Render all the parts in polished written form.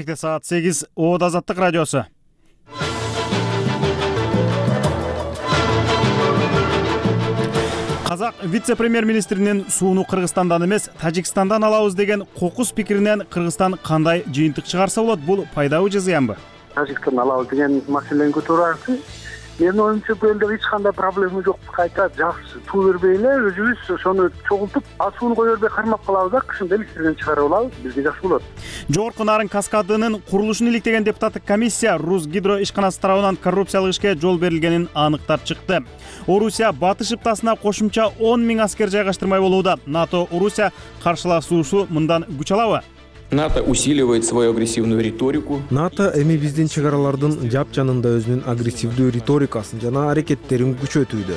Келешекте саат 8 Оод Азаттык радиосу. Казак вице-премьер-министринин сууну Кыргызстандан эмес, Тажикстандан алабыз деген кокус пикиринен Кыргызстан кандай жыйынтык чыгарса болот? Бул пайдабы же зыянбы? Тажиктан алабыз деген маселени көтөрүп менин оюмча бул элде эч кандай проблема жок. Кайта жакшы суу бербей эле өзүбүз ошону чогултуп, сууну кое бербей кармап калабыз да, кышында электрден чыгарып алабыз. Бизге жакшы болот. Жогорку Нарын каскадынын курулушун иликтеген депутаттык комиссия Русгидро ишканасы тарабынан коррупциялык ишке жол берилгенин аныктап чыкты. Орусия батыш ыптасына кошумча 10 000 аскер жайгаштырмай болууда. НАТО Орусия каршылашуусу мындан күч алабы? НАТО усиливает свою агрессивную риторику. НАТО эми биздин чегаралардын жапжанында өзүнүн агрессивдүү риторикасын жана аракеттерин күчөтүүдө.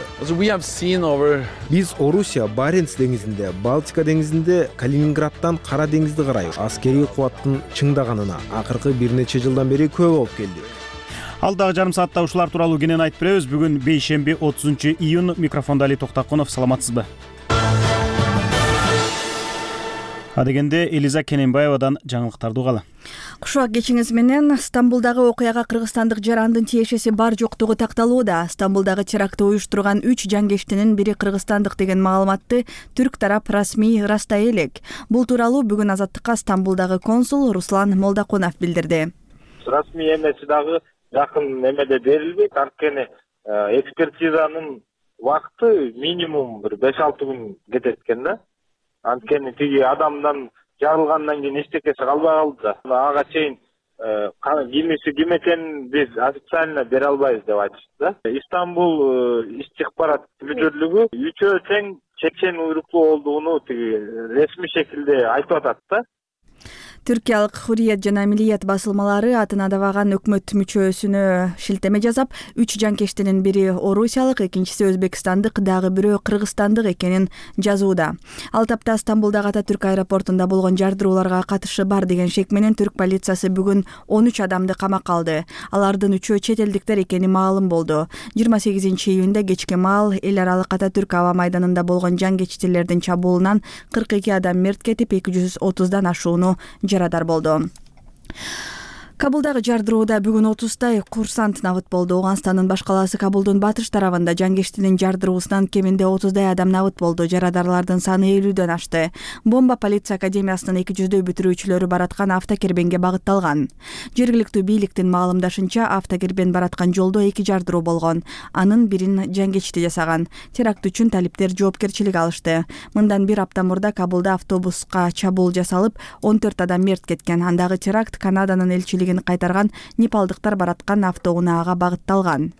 Биз Орусия Баренц деңизинде, Балтика деңизинде, Калининградтан Кара деңизди карай аскерий кубаттын чыңдаганына акыркы бир нече жылдан бери күбө болуп келдик. Алдагы жарым саатта ушулар тууралуу кенен айтып беребиз. Бүгүн бейшемби 30-июнь. Микрофондо Али Токтакунов. Саламатсызбы? Адегенде Элиза Кененбаевадан жаңылыктарды угалы. Кушак кечиңиз менен Стамбулдагы окуяга кыргызстандык жарандын тиешеси бар жоктугу такталууда. Стамбулдагы терактты уюштурган 3 жангештинин бири кыргызстандык деген маалыматты түрк тарап расмий ырастай элек. Бул тууралуу бүгүн Азаттыкка Стамбулдагы консул Руслан Молдокунов билдирди. Расмий эмеси дагы жакын эмеде берилбейт. Анткени экспертизанын убакыты минимум бир 5-6 күн кетет экен да. Анткени тиги адамдан жарылгандан кийин эчтекеси калбай калды да. Ага чейин кимиси ким экенин биз официально бере албайбыз деп айтышты да. Истанбул иш-чыкпарат мүдүрлүгү үчөө тең чечен уйруктуу болгону тиги ресми шекилде айтып атат да. Түркиялык Hurriyet жана Milliyet басылмалары атына дабаган өкмөт мүчөсүнө шилтеме жасап, 3 жанкештинин бири орусиялык, экинчиси өзбекстандык, дагы бирөө кыргызстандык экенин жазууда. Ал тапта Стамбулдагы Ататүрк аэропортунда болгон жардырууларга катышы бар деген шек менен түрк полициясы бүгүн 13 адамды камакка алды. Алардын 3-өө чет элдиктер экени маалым болду. 28-июнда кечки маал эл аралык Ататүрк аба майданында болгон жангечтилердин чабуулунан 42 адам мерт кетип, 230дан ашууну жарадар болду. Кабулдагы жардырууда бүгүн 30-тай курсант набыт болду. Ооганстандын баш калаасы Кабулдун батыш тарабында жангештинин жардыруусунан кеминде 30-дай адам набыт болду. Жарадарлардын саны 50дөн ашты. Бомба полиция академиясынын 200дөй бүтүрүүчүлөрү бараткан автокербенге багытталган. Жергиликтүү бийликтин маалымдашынча, автокербен бараткан жолдо 2 жардыруу болгон. Анын бирин жангечти жасаган. Теракт үчүн талиптер жоопкерчилик алышты. Мындан бир апта мурда Кабулда автобуска чабуул жасалып, 14 адам мерт кеткен. Андагы теракт Канаданын элчилиги кайтарган непалдыктар бараткан автоунаага багытталган.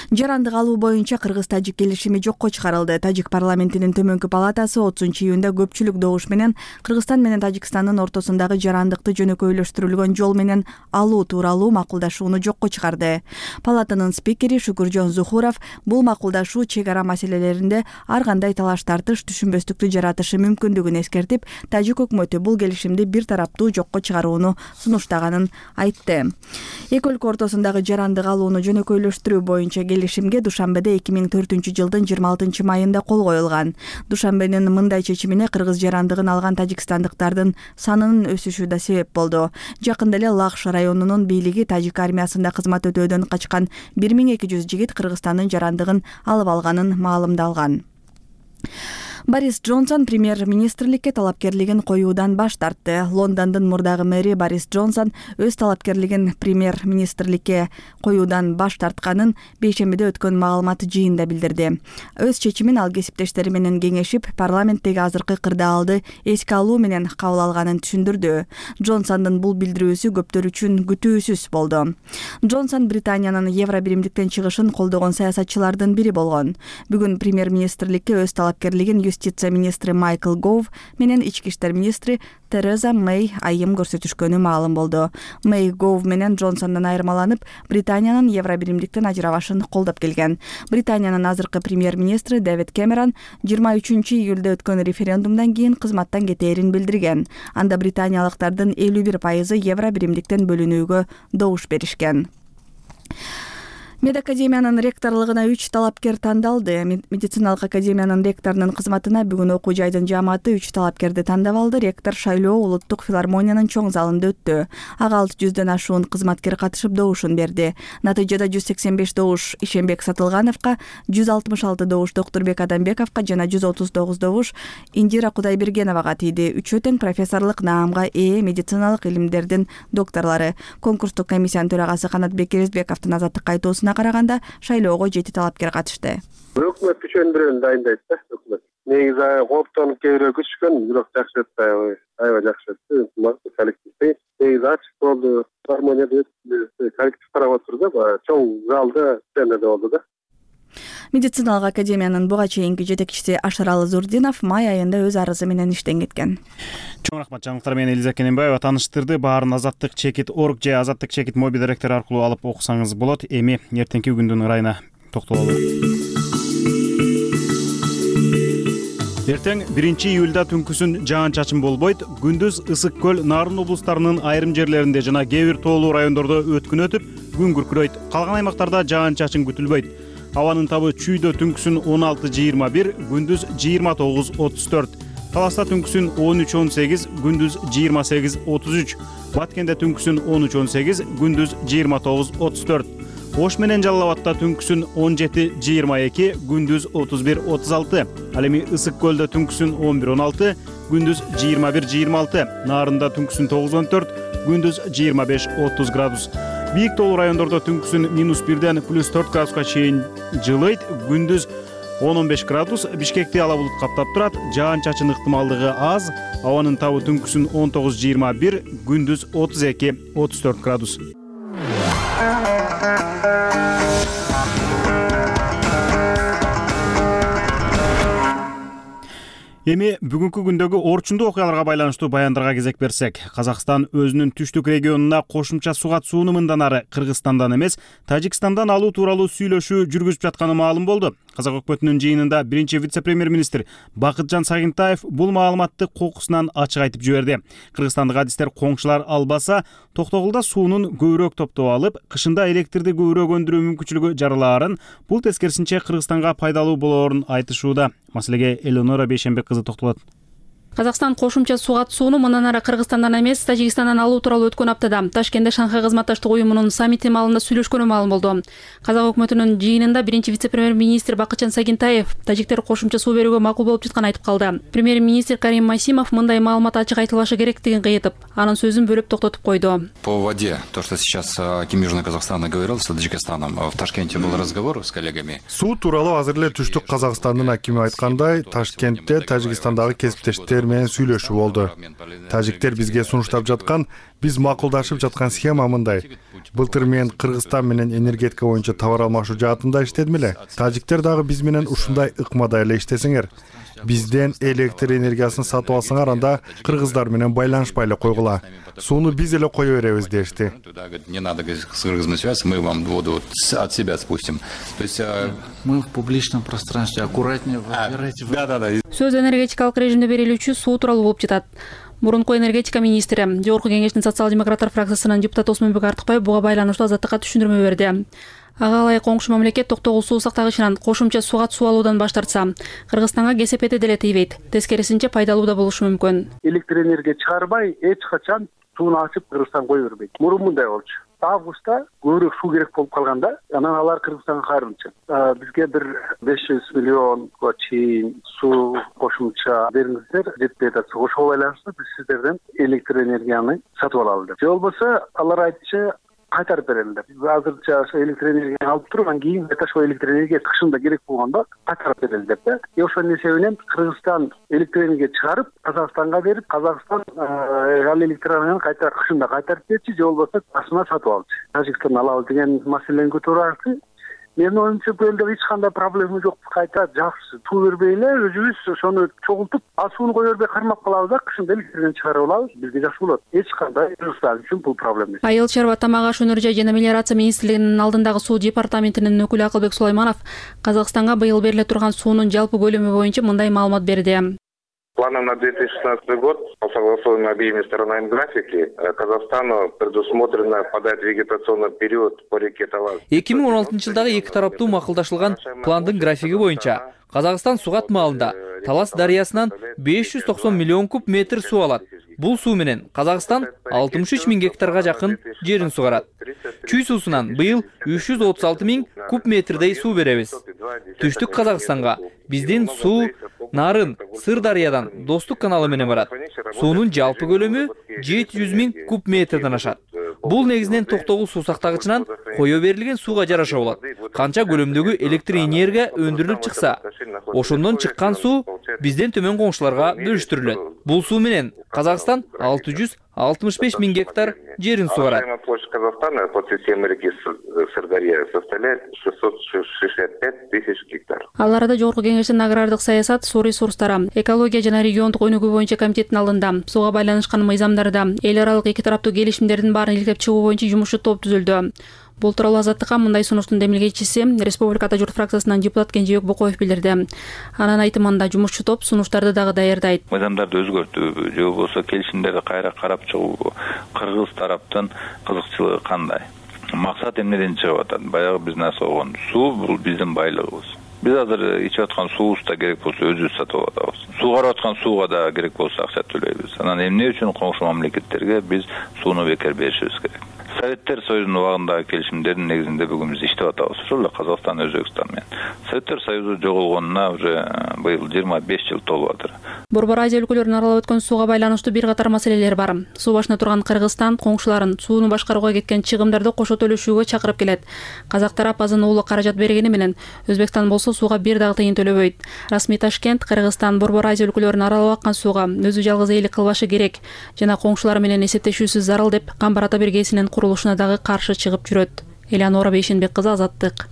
Жарандык алуу боюнча Кыргыз-Тажик келишими жокко чыгарылды. Тажик парламентинин төмөнкү палатасы 30-июнда көпчүлүк добуш менен Кыргызстан менен Тажикстандын ортосундагы жарандыкты жөнөкөйлөштүрүлгөн жол менен алуу тууралуу макулдашууну жокко чыгарды. Палатанын спикери Шукуржон Зухуров бул макулдашуу чек ара маселелеринде ар кандай талаш тартыш, түшүнбөстүктү жаратышы мүмкүндүгүн эскертип, Тажик өкмөтү бул келишимди бир тараптуу жокко чыгарууну сунуштаганын айтты. Эки өлкө ортосундагы жарандык алууну жөнөкөйлөштүрүү боюнча келишимге Душанбеде 2004-жылдын 26-майында кол коюлган. Душанбенин мындай чечимине кыргыз жарандыгын алган тажикстандыктардын санынын өсүшү да себеп болду. Жакында эле Лахш районунун бийлиги Тажик армиясында кызмат өтөөдөн качкан 1200 жигит Кыргызстандын жарандыгын алып алганын маалымдалган. Борис Джонсон премьер-министрликке талапкерлигин коюудан баш тартты. Лондондун мурдагы мэри Борис Джонсон өз талапкерлигин премьер-министрликке коюудан баш тартканын бейшембиде өткөн маалымат жыйында билдирди. Өз чечимин ал кесиптештери менен кеңешип, парламенттеги азыркы кырдаалды эске алуу менен кабыл алганын түшүндүрдү. Джонсондун бул билдирүүсү көптөр үчүн күтүүсүз болду. Джонсон Британиянын Евробиримдиктен чыгышын колдогон саясатчылардын бири болгон. Бүгүн премьер-министрликке өз талапкерлигин Юстиция министри Майкл Гов менен ички иштер министри Тереза Мэй айым көрсөтүшкөнү маалым болду. Мэй Гов менен Джонсондон айырмаланып, Британиянын Евробиримдиктен ажырабашын колдоп келген. Британиянын азыркы премьер-министри Дэвид Кэмерон 23-июлда өткөн референдумдан кийин кызматтан кетээрин билдирген. Анда британиялыктардын 51% Евробиримдиктен бөлүнүүгө добуш беришкен. Медакадемиянын ректорлугуна 3 талапкер тандалды. Медициналык академиянын ректорунун кызматына бүгүн окуу жайдын жааматы 3 талапкерди тандап алды. Ректор шайлоо Улуттук филармониянын чоң залында өттү. Ага 600дөн ашуун кызматкер катышып добушун берди. Натыйжада 185 добуш Ишенбек Сатылгановго, 166 добуш Доктурбек Адамбековго жана 139 добуш Индира Кудайбергеновага тийди. Үчөө тең профессорлук наамга ээ медициналык илимдердин докторлору. Конкурстук комиссиянын төрагасы Канатбек Эрезбековдун азаттыкка айтуусуна караганда шайлоого 7 талапкер катышты. Өкмөт үчүн бирөөнү дайындайт да өкмөт. Негизи кооптонуп кээбирөөк күчкөн, бирок жакшы өттү, аябай жакшы өттү. Коллектив негизи ачык болду. Филармонияда коллектив карап отурду да, чоң залда сценада болду да. Медициналык академиянын буга чейинки жетекчиси Ашаралы Зурдинов май айында өз арызы менен иштен кеткен. Чоң рахмат, жаңылыктар менен Элиза Кененбаева таныштырды. Баарын Азаттык чекит.org же Азаттык чекит мобил директору аркылуу алып окусаңыз болот. Эми эртеңки күндүн ырайына токтололу. Эртең 1-июлда түнкүсүн жаан-чачын болбойт. Күндүз Ысык көл, Нарын облустарынын айрым жерлеринде жана кээ бир тоолуу райондордо өткүн өтүп, күн күркүрөйт. Калган аймактарда жаан-чачын күтүлбөйт. Абанын табы чүйдө түнкүсүн 16-21, күндүз 29-34. Таласта түнкүсүн 13-18, күндүз 28-33. Баткенде түнкүсүн 13-18, күндүз 29-34. Ош менен Жалал Абадта түнкүсүн 17-22, күндүз 31-36. Ал эми Ысык көлдө түнкүсүн 11-16, күндүз 21-26. Нарында түнкүсүн 9-14, күндүз 25-30 градус. Бийик тоолуу райондордо түнкүсүн -1ден +4 градуска чейин жылыйт, күндүз 10-15 градус. Бишкекти ала булут каптап турат, жаан-чачын ыктымалдыгы аз. Абанын табы түнкүсүн 19-21, күндүз 32-34 градус. Эми бүгүнкү күндөгү орчундуу окуяларга байланыштуу баяндарга кезек берсек, Казакстан өзүнүн түштүк регионуна кошумча суу катышууну мындан ары Кыргызстандан эмес, Тажикстандан алуу тууралуу сүйлөшүү жүргүзүп жатканы маалым болду. Казак өкмөтүнүн жыйынында биринчи вице-премьер-министр Бакытжан Сагынтаев бул маалыматты кокусунан ачык айтып жиберди. Кыргызстандык адистер коңшулар албаса, Токтогулда суунун көбүрөөк топтоп алып, кышында электрди көбүрөөк өндүрүү мүмкүнчүлүгү жаралаарын, бул тескерисинче Кыргызстанга пайдалуу болоорун айтышууда. Маселеге Элеонора Бейшенбек кызы токтолот. Казакстан кошумча суу катышууну мындан ары Кыргызстандан эмес, Тажикстандан алуу тууралуу өткөн аптада Ташкентте Шанхай кызматташтык уюмунун саммити маалында сүйлөшкөнү маалым болду. Казак өкмөтүнүн жыйынында биринчи вице-премьер-министр Бакытжан Сагынтаев тажиктер кошумча суу берүүгө макул болуп жатканын айтып калды. Премьер-министр Карим Масимов мындай маалымат ачык айтылбашы керектигин кыйытып, анын сөзүн бөлүп токтотуп койду. По воде, то, что сейчас Ким Южный Казахстан говорил с Таджикистаном, в Ташкенте был разговор с коллегами. Суу тууралуу азыр эле түштүк Казакстандын акими айткандай, Ташкентте Тажикстандагы кесиптештер менен сүйлөшүү болду. Тажиктер бизге сунуштап жаткан, биз макулдашып жаткан схема мындай. Былтыр мен Кыргызстан менен энергетика боюнча товар алмашуу жаатында иштедим эле. Тажиктер дагы биз менен ушундай ыкмада эле иштесеңер. Бизден электр энергиясын сатып алсаңар, анда кыргыздар менен байланышпай эле койгула. Сууну биз эле кое беребиз дешти. Не надо с кыргызами связаться, мы вам воду от себя спустим. То есть мы в публичном пространстве, аккуратнее выбирайте. Да. Сөз энергетикалык режимде берилүүчү суу тууралуу болуп жатат. Мурунку энергетика министри, Жогорку кеңештин социал-демократтар фракциясынын депутаты Осмонбек Артыкбаев буга байланыштуу азаттыкка түшүндүрмө берди. Ага ылайык коңшу мамлекет Токтогул суу сактагычынан кошумча суу катышуу алуудан баш тартса, Кыргызстанга кесепети деле тийбейт. Тескерисинче пайдалуу да болушу мүмкүн. Электр энергия чыгарбай, эч качан сууну ачып Кыргызстан кое бербейт. Мурун мындай болчу. Августта көбүрөөк суу керек болуп калганда, анан алар Кыргызстанга кайрылчу. Бизге бир 500 миллионго чейин суу кошумча бериңиздер, жетпей атат. Ошого байланыштуу биз сиздерден электр энергияны сатып алалы деп. Же болбосо алар айтчу кайтарып берели деп. Азырча электр энергияны алып туруп, анан кийин ошол электр энергия кышында керек болгондо кайтарып берели деп да. Ошонун эсебинен Кыргызстан электр энергия чыгарып, Казакстанга берип, Казакстан ал электр энергияны кайта кышында кайтарып берчи, же болбосо башына сатып алчу. Тажикстан алалы деген маселени көтөрүп. Менин оюмча бул элде эч кандай проблема жок. Кайта жакшы суу бербей эле өзүбүз ошону чогултуп, сууну кое бербей кармап калабыз да, кышында электрден чыгарып алабыз. Бизге жакшы болот. Эч кандай Кыргызстан үчүн бул проблема эмес. Айыл чарба, тамак аш өнөр жай жана мелиорация министрлигинин алдындагы суу департаментинин өкүлү Акылбек Сулайманов Казакстанга быйыл бериле турган суунун жалпы көлөмү боюнча мындай маалымат берди. Планом на 2016 год по согласованию обеими сторонами графики Казахстану предусмотрено подать вегетационный период по реке Талас. 2016-жылдагы эки тараптуу макулдашылган пландын графиги боюнча Казакстан сугат маалында Талас дарыясынан 590 миллион куб метр суу алат. Бул суу менен Казакстан 63 миң гектарга жакын жерин сугарат. Чүй суусунан быйыл 336 миң куб метрдей суу беребиз. Түштүк Казакстанга биздин суу Нарын Сырдарыядан Достук каналы менен барат. Суунун жалпы көлөмү 700 миң куб метрден ашат. Бул негизинен Токтогул суу сактагычынан кое берилген сууга жараша болот. Канча көлөмдөгү электр энергия өндүрүлүп чыкса, ошондон чыккан суу бизден төмөн коңшуларга бөлүштүрүлөт. Бул суу менен Казакстан 665 миң гектар жерин сугарат. Площадь Казахстана под системой реки Сырдарья составляет 665 тысяч гектар. Ал арада Жогорку Кеңештин агрардык саясат, суу ресурстары, экология жана региондук өнүгүү боюнча комитеттин алдында сууга байланышкан мыйзамдарда эл аралык эки тараптуу келишимдердин баарын иликтеп чыгуу боюнча жумушчу топ түзүлдү. Бул тууралуу Азаттыкка мындай сунуштун демилгечиси Республика Ата журт фракциясынан депутат Кенжебек Бокоев билдирди. Анын айтымында жумушчу топ сунуштарды дагы даярдайт. Мыйзамдарды өзгөртүүбү же болбосо келишимдерди кайра карап чыгуубу, кыргыз тараптын кызыкчылыгы кандай? Максат эмнеден чыгып атат? Баягы биз насогон суу бул биздин байлыгыбыз. Биз азыр ичип аткан суубузда керек болсо өзүбүз сатып алабыз. Сугарып аткан сууга да керек болсо акча төлөйбүз. Анан эмне үчүн коңшу мамлекеттерге биз сууну бекер беришибиз керек? Советтер Союзунун убагындагы келишимдердин негизинде бүгүн биз иштеп атабыз. Ошол эле Казакстан, Өзбекстан менен. Советтер Союзу жоголгонуна уже быйыл 25 жыл толуп атыр. Борбор Азия өлкөлөрүн аралап өткөн сууга байланыштуу бир катар маселелер бар. Суу башына турган Кыргызстан коңшуларын сууну башкарууга кеткен чыгымдарды кошо төлөшүүгө чакырып келет. Казак тарап азын уулу каражат бергени менен Өзбекстан болсо сууга бир дагы тыйын төлөбөйт. Расмий Ташкент Кыргызстан Борбор Азия өлкөлөрүн аралап аккан сууга өзү жалгыз эйлик кылбашы керек жана коңшулары менен эсептешүүсүз зарыл деп Камбар ата биргесинин курулушуна дагы каршы чыгып жүрөт. Элеонора Бейшенбек кызы, Азаттык.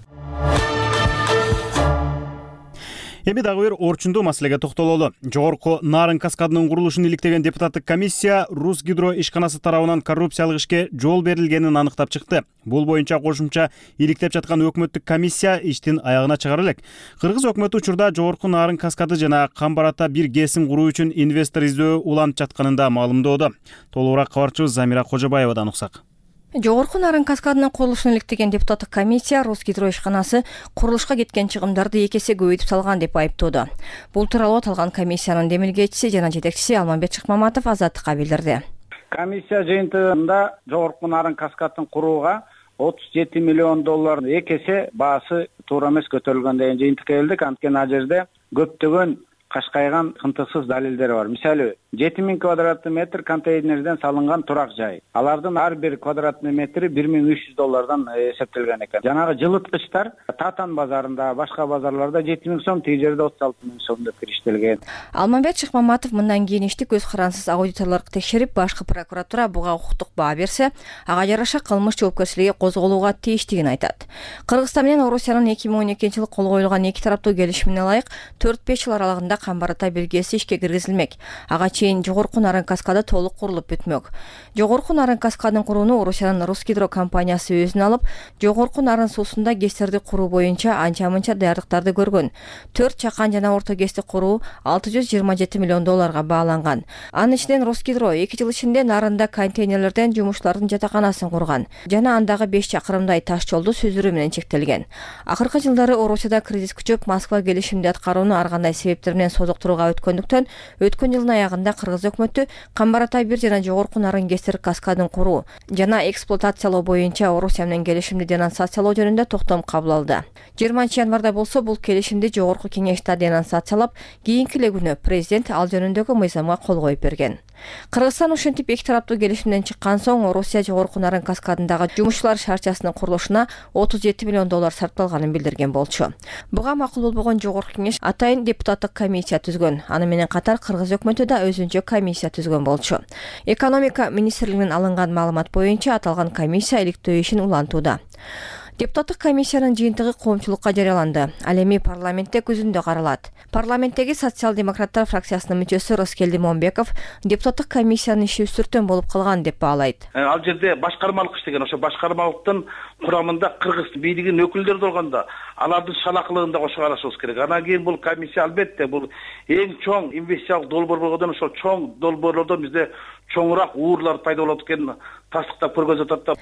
Эми дагы бир орчундуу маселеге токтололу. Жогорку Нарын каскадынын курулушун иликтеген депутаттык комиссия Русгидро ишканасы тарабынан коррупциялык ишке жол берилгенин аныктап чыкты. Бул боюнча кошумча иликтеп жаткан өкмөттүк комиссия иштин аягына чыгара элек. Кыргыз өкмөтү учурда Жогорку Нарын каскады жана Камбар ата бир ГЭСин куруу үчүн инвестор издөө уланып жатканын да маалымдоодо. Толугураак кабарчыбыз Замира Кожобаевадан уксак. Жогорку Нарын каскадынын курулушун иликтеген депутаттык комиссия Русгидро ишканасы курулушка кеткен чыгымдарды 2 эсе көбөйтүп салган деп айыптоодо. Бул тууралуу аталган комиссиянын демилгечиси жана жетекчиси Алмамбет Шыкмаматов Азаттыкка билдирди. Комиссия жыйынтыгында Жогорку Нарын каскадын курууга 37 миллион доллар 2 эсе баасы туура эмес көтөрүлгөн деген жыйынтыкка келдик. Анткени ал жерде көптөгөн кашкайган кынтыксыз далилдер бар. Мисалы 7000 квадратный метр контейнерден салынган турак жай. Алардын ар бир квадратный метри $1300 эсептелген экен. Жанагы жылыткычтар Татан базарында, башка базарларда 7000 сом, тиги жерде 36000 сом деп кириштелген. Алмамбет Шыкмаматов мындан кийин ишти көз карансыз аудиторлорго текшерип, башкы прокуратура буга укуктук баа берсе, ага жараша кылмыш жоопкерчилиги козголууга тийиштигин айтат. Кыргызстан менен Орусиянын 2012-жылы кол коюлган эки тараптуу келишимине ылайык 4-5 жыл аралыгында Камбар ата биргеси ишке киргизилмек. Ага чейин Жогорку Нарын каскады толук курулуп бүтмөк. Жогорку Нарын каскадын курууну Орусиянын Русгидро компаниясы өзүнө алып, Жогорку Нарын суусунда ГЭСтерди куруу боюнча анча-мынча даярдыктарды көргөн. 4 чакан жана орто ГЭСти куруу $627 миллион бааланган. Анын ичинен Русгидро 2 жыл ичинде Нарында контейнерлерден жумушчулардын жатаканасын курган жана андагы 5 чакырымдай таш жолду сүзүрүү менен чектелген. Акыркы жылдары Орусияда кризис күчөп, Москва келишимди аткарууну ар кандай себептер менен созуктурууга өткөндүктөн, өткөн жылдын аягында Кыргыз өкмөтү Камбар ата 1 жана Жогорку Нарын ГЭСтер каскадын куруу жана эксплуатациялоо боюнча Орусия менен келишимди денонсациялоо жөнүндө токтом кабыл алды. 20-январда болсо бул келишимди Жогорку Кеңеште денонсациялап, кийинки эле күнү президент ал жөнүндөгү мыйзамга кол коюп берген. Кыргызстан ушинтип эки тараптуу келишимден чыккан соң Орусия Жогорку Нарын каскадындагы жумушчулар шаарчасынын курулушуна $37 миллион сарпталганын билдирген болчу. Буга макул болбогон Жогорку Кеңеш атайын депутаттык комиссия түзгөн. Аны менен катар Кыргыз өкмөтү да өзүнчө комиссия түзгөн болчу. Экономика министрлигинин алынган маалымат боюнча аталган комиссия иликтөө ишин улантууда. Депутаттык комиссиянын жыйынтыгы коомчулукка жарыяланды. Ал эми парламентте күзүндө каралат. Парламенттеги социал-демократтар фракциясынын мүчөсү Роскелди Момбеков депутаттык комиссиянын иши үстүртөн болуп калган деп баалайт. Ал жерде башкармалык иштеген, ошо башкармалыктын курамында кыргыз бийлигинин өкүлдөрү болгондо алардын шалакылыгын да кошо карашыбыз керек. Анан кийин бул комиссия албетте бул эң чоң инвестициялык долбоор болгондон ошол чоң долбоорлордон бизде чоңураак уурлар пайда болот экенин тастыктап көргөзүп атат да.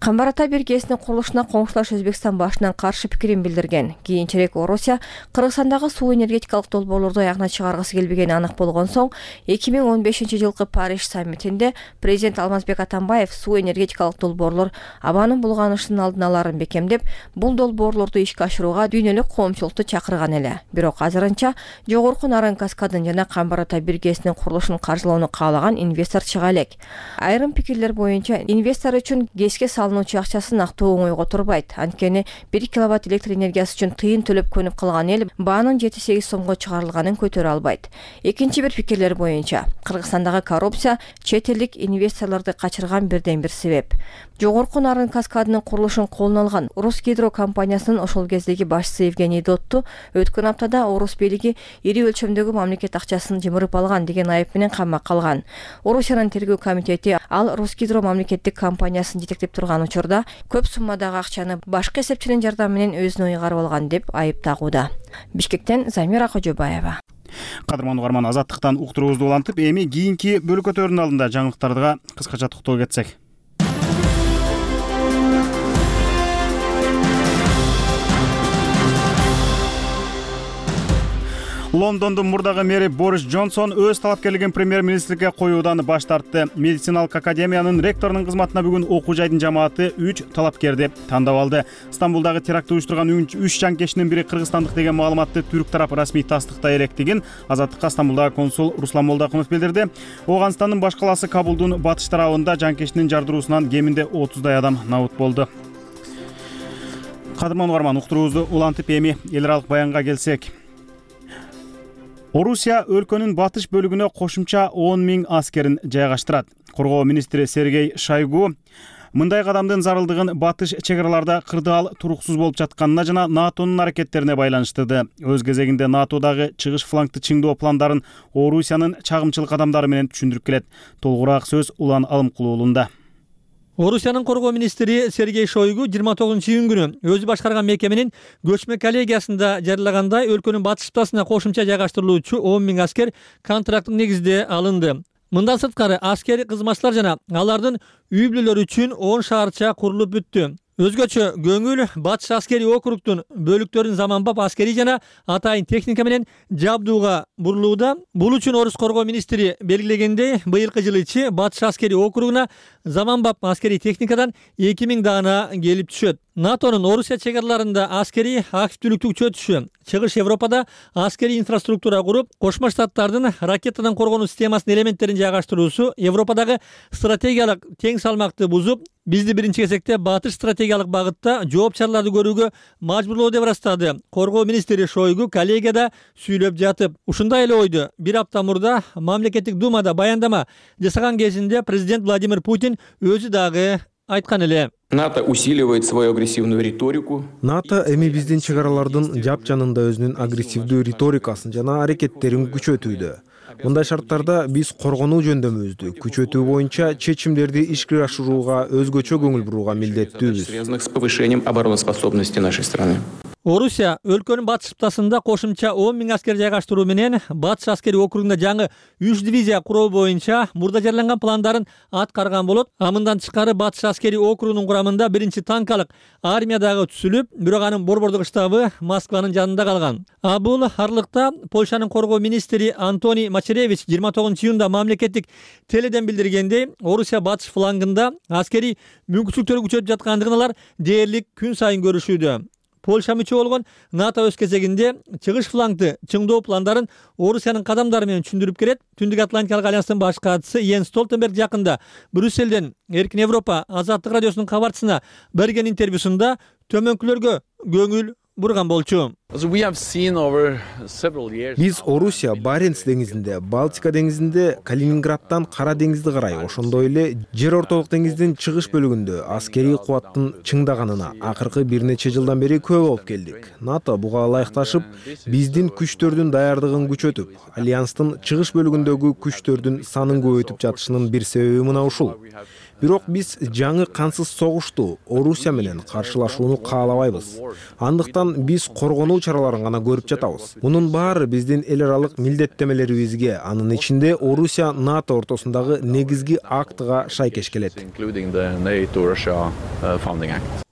Камбар Ата биргесинин курулушуна коңшулаш Өзбекстан башынан каршы пикирин билдирген. Кийинчерээк Орусия Кыргызстандагы суу энергетикалык долбоорлорду аягына чыгаргысы келбегени анык болгон соң 2015-жылкы Париж саммитинде президент Алмазбек Атамбаев суу энергетикалык долбоорлор абанын булганышынын алдын аларын бекемдеп, бул долбоорлорду ишке ашырууга дүйнөлүк коомчулукту чакырган эле. Бирок азырынча Жогорку Нарын каскадын жана Камбар Ата биргесинин курулушун каржылоону каалаган инвестор чыга элек. Айрым пикирлер боюнча инвестор үчүн гэске салынуучу акчасын актоо оңойго турбайт. Анткени 1 киловатт электр энергиясы үчүн тыйын төлөп көнүп калган эл баанын 7-8 сомго чыгарылганын көтөрө албайт. Экинчи бир пикирлер боюнча Кыргызстандагы коррупция чет элдик инвесторлорду качырган бирден бир себеп. Жогорку Нарын каскадынын курулушун колуна алган Русгидро компаниясынын ошол кездеги башчысы Евгений Дотту өткөн аптада Орус бийлиги ири өлчөмдөгү мамлекет акчасын жымырып алган деген айып менен камакка алган. Орусиянын тергөө комитети ал Русгидро мамлекеттик компаниясын жетектеп турган учурда көп суммадагы акчаны башка эсепчинин жардамы менен өзүнө ыйгарып алган деп айып тагууда. Бишкектен Замира Кожобаева. Кадырман угарман, Азаттыктан уктуруубузду улантып, эми кийинки бөлүкөтөрдүн алдында жаңылыктарга кыскача токтоло кетсек. Лондондун мурдагы мэри Борис Джонсон өз талапкерлигин премьер-министрге коюудан баш тартты. Медициналык академиянын ректорунун кызматына бүгүн окуу жайдын жамааты 3 талапкерди тандап алды. Стамбулдагы терактты уюштурган 3 жанкечинин бири кыргызстандык деген маалыматты түрк тарапы расмий тастыктай электигин Азаттыкка Стамбулдагы консул Руслан Молдакунов билдирди. Ооганстандын баш калаасы Кабулдун батыш тарабында жанкечинин жардыруусунан кеминде 30дай адам набыт болду. Кадырман угарман, уктуруубузду улантып, эми эл аралык баянга келсек. Орусия өлкөнүн батыш бөлүгүнө кошумча 10 000 аскерин жайгаштырат. Коргоо министри Сергей Шойгу мындай кадамдын зарылдыгын батыш чек араларда кырдаал туруксуз болуп жатканына жана НАТОнун аракеттерине байланыштырды. Өз кезегинде НАТОдагы чыгыш флангты чыңдоо пландарын Орусиянын чагымчылык кадамдары менен түшүндүрүп келет. Толугураак сөз Улан Алымкулуу уулунда. Орусиянын коргоо министри Сергей Шойгу 29-июнь күнү өзү башкарган мекеменин көчмө коллегиясында жарыялагандай өлкөнүн батыш ыптасына кошумча жайгаштырылуучу 10 000 аскер контракттык негизде алынды. Мындан сырткары аскери кызматчылар жана алардын үй бүлөлөрү үчүн 10 шаарча курулуп бүттү. Өзгөчө көңүл батыш аскери округтун бөлүктөрүн заманбап аскери жана атайын техника менен жабдууга бурулууда. Бул үчүн Орус коргоо министри белгилегендей, быйылкы жылы ичи батыш аскери округуна заманбап аскери техникадан 2000 даана келип түшөт. НАТОнун Орусия чек араларында аскери активдүүлүктү күчөтүшү, чыгыш Европада аскери инфраструктура куруп, Кошмо Штаттардын ракетадан коргонуу системасынын элементтерин жайгаштыруусу Европадагы стратегиялык тең салмакты бузуп, бизди биринчи кезекте батыш стратегиялык багытта жооп чараларды көрүүгө мажбурлоо деп ырастады. Коргоо министри Шойгу коллегияда сүйлөп жатып, ушундай эле ойду бир апта мурда мамлекеттик думада баяндама жасаган кезинде президент Владимир Путин өзү дагы айткан эле. НАТО усиливает свою агрессивную риторику. НАТО эми биздин чек аралардын жап жанында өзүнүн агрессивдүү риторикасын жана аракеттерин күчөтүүдө. Мындай шарттарда биз коргонуу жөндөмүбүздү күчөтүү боюнча чечимдерди ишке ашырууга өзгөчө көңүл буруга милдеттүүбүз. Связанных с повышением обороноспособности нашей страны. Орусия өлкөнүн батыш ыптасында кошумча 10 000 аскер жайгаштыруу менен батыш аскери округунда жаңы 3 дивизия куруу боюнча мурда жарыяланган пландарын аткарган болот. Мындан тышкары батыш аскери округунун курамында биринчи танкалык армия дагы түзүлүп, бирок анын борбордук штабы Москванын жанында калган. Бул арлыкта Польшанын коргоо министри Антоний Мачеревич 29-июнда мамлекеттик теледен билдиргендей, Орусия батыш флангында аскери мүмкүнчүлүктөрү күчөтүп жаткандыгын алар дээрлик күн сайын көрүшүүдө. Польша мүчө болгон НАТО өз кезегинде чыгыш флангты чыңдоо пландарын Орусиянын кадамдары менен түшүндүрүп келет. Түндүк Атлантикалык альянстын баш катчысы Йенс Столтенберг жакында Брюсселден Эркин Европа Азаттык радиосунун кабарчысына берген интервьюсунда төмөнкүлөргө көңүл бурган болчу. Биз Орусия Баренц деңизинде, Балтика деңизинде, Калининградтан Кара деңизди карай, ошондой эле Жер ортолук деңиздин чыгыш бөлүгүндө аскерий кубаттын чыңдаганына акыркы бир нече жылдан бери күбө болуп келдик. НАТО буга ылайыкташып, биздин күчтөрдүн даярдыгын күчөтүп, альянстын чыгыш бөлүгүндөгү күчтөрдүн санын көбөйтүп жатышынын бир себеби мына ушул. Бирок биз жаңы кансыз согушту Орусия менен каршылашууну каалабайбыз. Андыктан биз коргонуу чараларын гана көрүп жатабыз. Мунун баары биздин эл аралык милдеттемелерибизге, анын ичинде Орусия НАТО ортосундагы негизги актыга шайкеш келет.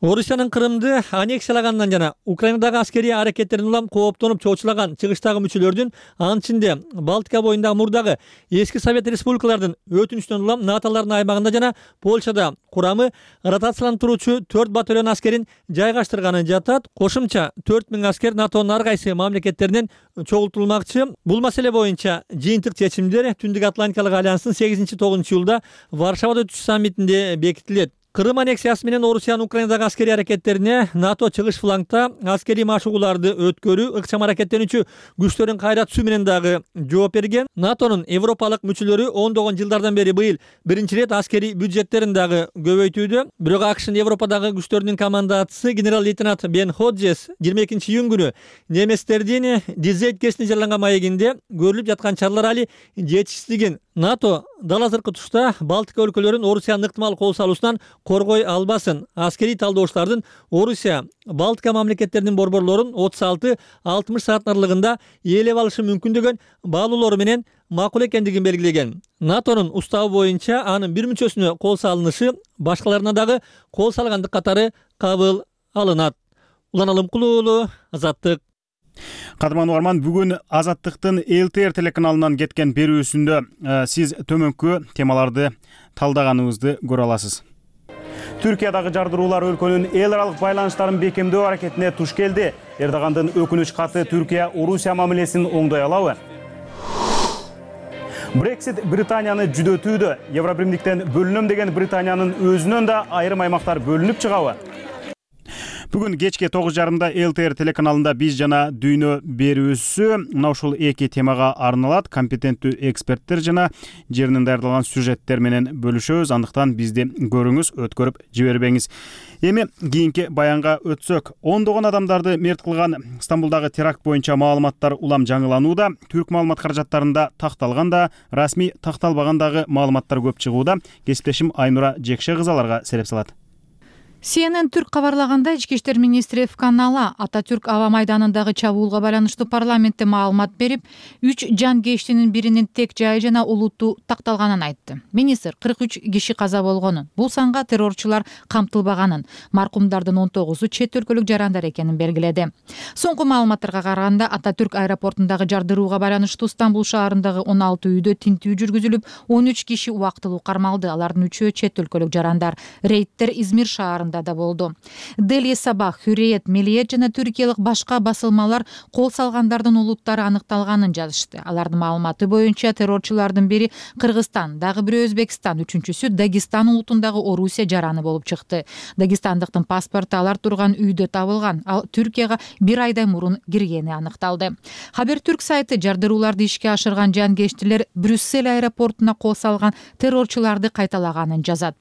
Орусиянын Крымды аннексиялагандан жана Украинадагы аскерий аракеттерин улам кооптонуп чоочулаган чыгыштагы мүчөлөрдүн, анын ичинде Балтика боюндагы мурдагы эски Совет республикалардын өтүнүчүнөн улам НАТОлордун аймагында жана Польшада курамы ротацияланып туручу 4 батальон аскерин жайгаштырганы жатат. Кошумча 4000 аскер НАТОнун ар кайсы мамлекеттеринен чогултулмакчы. Бул маселе боюнча жыйынтык чечимдер Түндүк Атлантикалык альянстын 8-9 июлда Варшавада өтүүчү саммитинде бекитилет. Крым аннексиясы менен Орусиянын Украинадагы аскерий аракеттерине НАТО чыгыш флангда аскерий машыгууларды өткөрүү, ыкчам аракеттенүүчү күчтөрүн кайра түзүү менен дагы жооп берген. НАТОнун европалык мүчөлөрү ондогон жылдардан бери быйыл биринчи ирет аскерий бюджеттерин дагы көбөйтүүдө. Бирок АКШнын Европадагы күчтөрүнүн командачысы генерал-лейтенант Бен Ходжес 22 июнь күнү немецтердин Дизейт кесине жарыяланган маегинде көрүлүп жаткан чаралар али жетишсиздигин, НАТО дал азыркы тушта Балтика өлкөлөрүн Орусиянын ыктымал кол салуусунан коргой албасын. Аскерий талдоочулардын Орусия Балтика мамлекеттеринин борборлорун 36-60 саат аралыгында ээлеп алышы мүмкүн деген баалоолору менен макул экендигин белгилеген. НАТОнун уставы боюнча анын бир мүчөсүнө кол салынышы башкаларына дагы кол салгандык катары кабыл алынат. Улан Алымкулуу уулу, Азаттык. Кадырман угарман, бүгүн Азаттыктын ЛТР телеканалынан кеткен берүүсүндө сиз төмөнкү темаларды талдаганыбызды көрө аласыз. Түркиядагы жардыруулар өлкөнүн эл аралык байланыштарын бекемдөө аракетине туш келди. Эрдогандын өкүнүч каты Түркия Орусия мамилесин оңдой алабы? Брексит Британияны жүдөтүүдө. Евробиримдиктен бөлүнөм деген Британиянын өзүнөн да айрым аймактар бөлүнүп чыгабы? Бүгүн кечке 9:30 ЛТР телеканалында биз жана дүйнө берүүсү мына ушул эки темага арналат. Компетенттүү эксперттер жана жеринен даярдалган сюжеттер менен бөлүшөбүз. Андыктан бизди көрүңүз, өткөрүп жибербеңиз. Эми кийинки баянга өтсөк, ондогон адамдарды мерт кылган Стамбулдагы теракт боюнча маалыматтар улам жаңыланууда. Түрк маалымат каражаттарында такталганда, расмий такталбагандагы маалыматтар көп чыгууда. Кесиптешим Айнура Жекше кызаларга сереп салат. CNN Түрк кабарлагандай, Ички иштер министри Эфкан Ала Ататүрк аба майданындагы чабуулга байланыштуу парламентте маалымат берип, 3 жан кештинин биринин тек жайы жана улутту такталганын айтты. Министр 43 киши каза болгонун, бул санга террорчулар камтылбаганын, маркумдардын 19-у чет өлкөлүк жарандар экенин белгиледи. Соңку маалыматтарга караганда, Ататүрк аэропортундагы жардырууга байланыштуу Стамбул шаарындагы 16 үйдө тинтүү жүргүзүлүп, 13 киши убактылуу кармалды. Алардын 3-өө чет өлкөлүк жарандар. Рейдтер Измир шаарында да болду. Дели Сабах, Hürriyet, Milliyet жана түркиялык башка басылмалар кол салгандардын улуттары аныкталганын жазышты. Алардын маалыматы боюнча террорчулардын бири Кыргызстан, дагы бири Өзбекстан, үчүнчүсү Дагестан улутундагы Орусия жараны болуп чыкты. Дагестандыктын паспорту алар турган үйдө табылган, ал Түркияга 1 айдай мурун киргени аныкталды. Хабертүрк сайты жардырууларды ишке ашырган жанкештилер Брюссель аэропортуна кол салган террорчуларды кайталаганын жазат.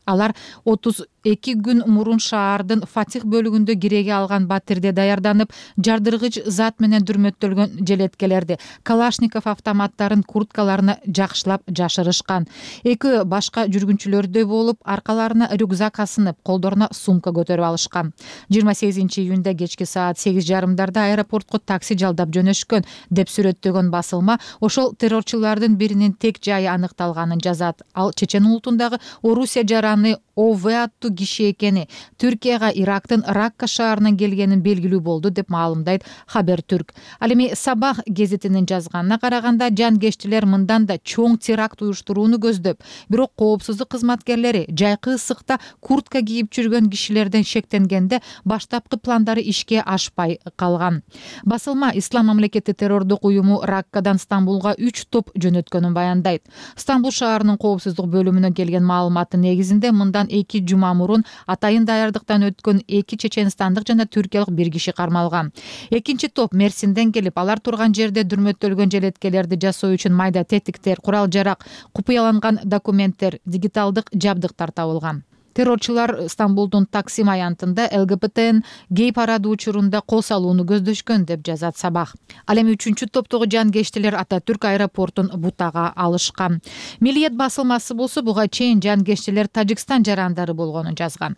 Алар 32 күн мурун шаардын Фатих бөлүгүндө киреге алган батирде даярданып, жардыргыч зат менен дүрмөттөлгөн желеткелерди, Калашников автоматтарын курткаларына жакшылап жашырышкан. Эки башка жүргүнчүлөрдөй болуп, аркаларына рюкзак асынып, колдоруна сумка көтөрүп алышкан. 28 июнда кечки саат 8:30 аэропортко такси жалдап жөнөшкөн деп сүрөттөгөн басылма ошол террорчулардын биринин тек жайы аныкталганын жазат. Ал Чечен улутундагы Орусия жараны ОВ аттуу киши экени, Түркияга Ирактын Ракка шаарынан келгенин белгилүү болду деп маалымдайт Хабертүрк. Ал эми Сабах гезитинин жазганына караганда, жанкештилер мындан да чоң теракт уюштурууну көздөп, бирок коопсуздук кызматкерлери жайкы ысыкта куртка кийип жүргөн кишилерден шектенгенде баштапкы пландары ишке ашпай калган. Басылма Ислам мамлекети террордук уюму Раккадан Стамбулга 3 топ жөнөткөнүн баяндайт. Стамбул шаарынын коопсуздук бөлүмүнөн келген маалыматтын негизинде мындан башталгандан 2 жума мурун атайын даярдыктан өткөн 2 чеченстандык жана түркиялык бир киши кармалган. Экинчи топ Мерсинден келип, алар турган жерде дүрмөттөлгөн желеткелерди жасоо үчүн майда тетиктер, курал-жарак, купуяланган документтер, дигиталдык жабдыктар табылган. Террорчулар Стамбулдун Таксим аянтында ЛГБТн гей парады учурунда кол салууну көздөшкөн деп жазат Сабах. Ал эми 3-чү топтогу жангештилер Ататүрк аэропортун бутага алышкан. Милиет басылмасы болсо буга чейин жангештилер Тажикстан жарандары болгонун жазган.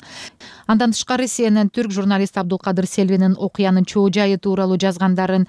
Андан тышкары CNN түрк журналист Абдулкадыр Селвинин окуянын чоо жайы тууралуу жазгандарынан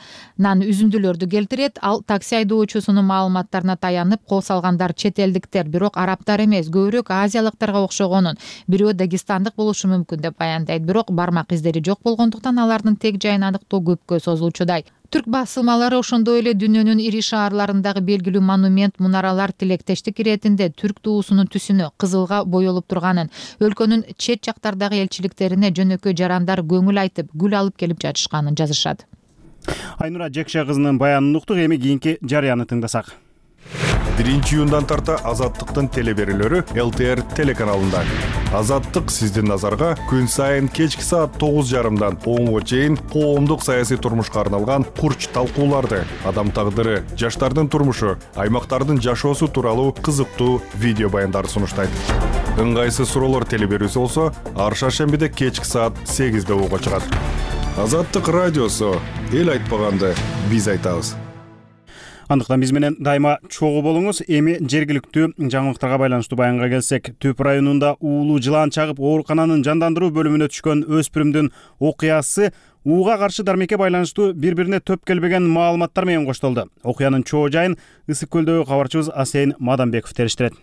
үзүндүлөрдү келтирет. Ал такси айдоочусунун маалыматтарына таянып, кол салгандар чет элдиктер, бирок арабтар эмес, көбүрөөк азиялыктарга окшогонун, бирөө дагестандык болушу мүмкүн деп баяндайт. Бирок бармак издери жок болгондуктан алардын тег жайын аныктоо көпкө созулчудай. Түрк басылмалары ошондой эле дүйнөнүн ири шаарларындагы белгилүү монумент, мунаралар тилектештик иретинде түрк туусунун түсүнө кызылга боелуп турганын, өлкөнүн чет жактардагы элчиликтерине жөнөкөй жарандар көңүл айтып, гүл алып келип жатышканын жазышат. Айнура Жекше кызынын баянын уктук, эми кийинки жарыяны тыңдасак. 1-июндан тарта Азаттыктын телеберүүлөрү ЛТР телеканалында. Азаттык сиздин назарга күн сайын кечки саат 9:30дан 10:00 чейин коомдук саясий турмушка арналган курч талкууларды, адам тагдыры, жаштардын турмушу, аймактардын жашоосу тууралуу кызыктуу видео баяндарды сунуштайт. Ыңгайсыз суроолор телеберүүсү болсо, ар шаршембиде кечки саат 8:00 угууга чыгат. Азаттык радиосу, эл айтпаганды биз айтабыз. Андыктан биз менен дайыма чогуу болуңуз. Эми жергиликтүү жаңылыктарга байланыштуу баянга келсек, Түп районунда уулуу жылан чагып оорукананын жандандыруу бөлүмүнө түшкөн өспүрүмдүн окуясы ууга каршы дармекке байланыштуу бири-бирине төп келбеген маалыматтар менен коштолду. Окуянын чоо жайын Ысык көлдөгү кабарчыбыз Асейин Маданбеков териштирет.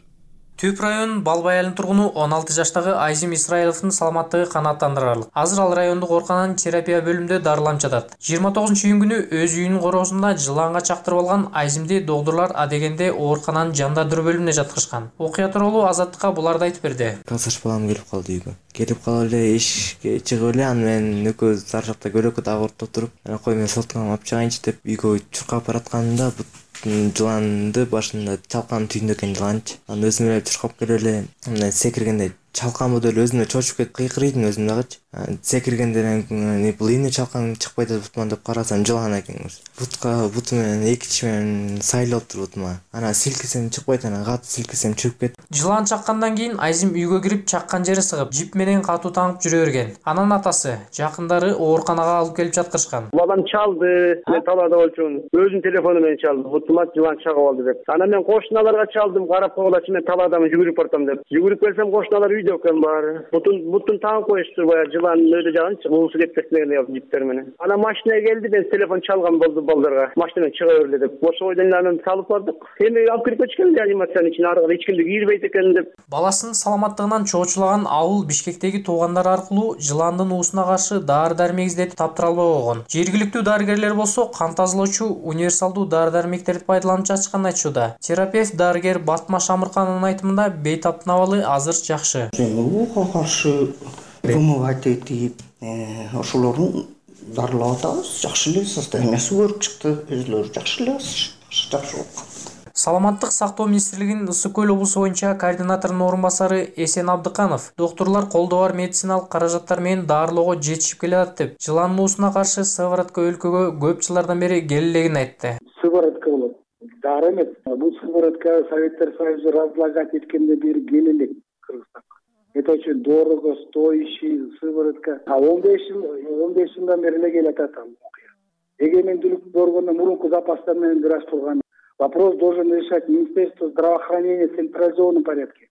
Түп районунун Балбай айылынын тургуну 16 жаштагы Айзим Исраиловдун саламаттыгы канааттандырарлык. Азыр ал райондук оорукананын терапия бөлүмүндө дарыланып жатат. 29-июнь күнү өз үйүнүн короосунда жыланга чактырып алган Айзимди доктурлар адегенде оорукананын жандандыруу бөлүмүнө жаткырышкан. Окуя тууралуу Азаттыкка буларды айтып берди. Калсаш балам келип калды үйгө. Келип калып эле эшикке чыгып эле, аны менен экөөбүз сары жакта көлөккө дагы отуруп, кой мен солтугамды алып чыгайынчы деп үйгө чуркап баратканымда жыланды башында чалкан түйүндө экен жыланчы. Аны өзүм эле чуркап келип эле мындай секиргенде чалкан деле өзүмө чочуп кетип кыйкырыйдым өзүм дагычы. Секиргенде бул эмне чалкан чыкпай атпаймын деп карасам жылан экен. Буту менен эки тиш менен сайлап туруп бутума. Анан силкисем чыкпайт, анан катуу силкисем чыгып кетти. Жылан чаккандан кийин Айзим үйгө кирип чаккан жери сыгып, жип менен катуу таңып жүрө берген. Анан атасы, жакындары ооруканага алып келип жаткырышкан. Балам чалды, мен талаада болчумун. Өзүнүн телефону менен чалды. Бутума жылан чагып алды деп. Анан мен кошуналарга чалдым, карап койгулачы, мен талаадамын, жүгүрүп бартам деп. Жүгүрүп келсем кошуналар үйдө экен баары. Бутун таңып коюшту, баягы жылан өйдө жагынчы, уусу кетпесин деп жиптер менен. Анан машина келди, мен телефон чалган болду балдарга. Машинадан чыга берле деп. Ошо бойдон анан салып бардык. Эми алып кирип кетишкен реанимациянын ичине, аркада эч кимди кирбейт экен деп. Баласынын саламаттыгынан чоочулаган ауыл Бишкектеги туугандары аркылуу жыландын уусуна каршы дары-дармек издетип таптыра албай койгон. Жергиликтүү дарыгерлер болсо кан тазалоочу универсалдуу дары-дармектерди пайдаланып жатышканын айтышууда. Терапевт дарыгер Батма Шамырканын айтымында бейтаптын абалы азыр жакшы. Ууга каршы вымывать этип, ошолордун дарылап атабыз. Жакшы эле состояниясы көрүп чыкты, өзүлөрү жакшы эле, жакшы болуп. Саламаттык сактоо министрлигинин Ысык көл облусу боюнча координаторунун орун басары Эсен Абдыканов доктурлар колдоо бар медициналык каражаттар менен дарылоого жетишип келатат деп, жыландын уусуна каршы сыворотка өлкөгө көп жылдардан бери келелегин айтты. Сыворотка болот, дары эмес. Бул сыворотка Советтер Союзу разлагать эткенде бери келелек Кыргызстанга. Это очень дорого, стоящий сыворотка. 15 жылдан бери эле келатат ал. Эгемендүүлүк боргондон мурунку запастар менен бир аз турган. Вопрос должен решать Министерство здравоохранения в централизованном порядке.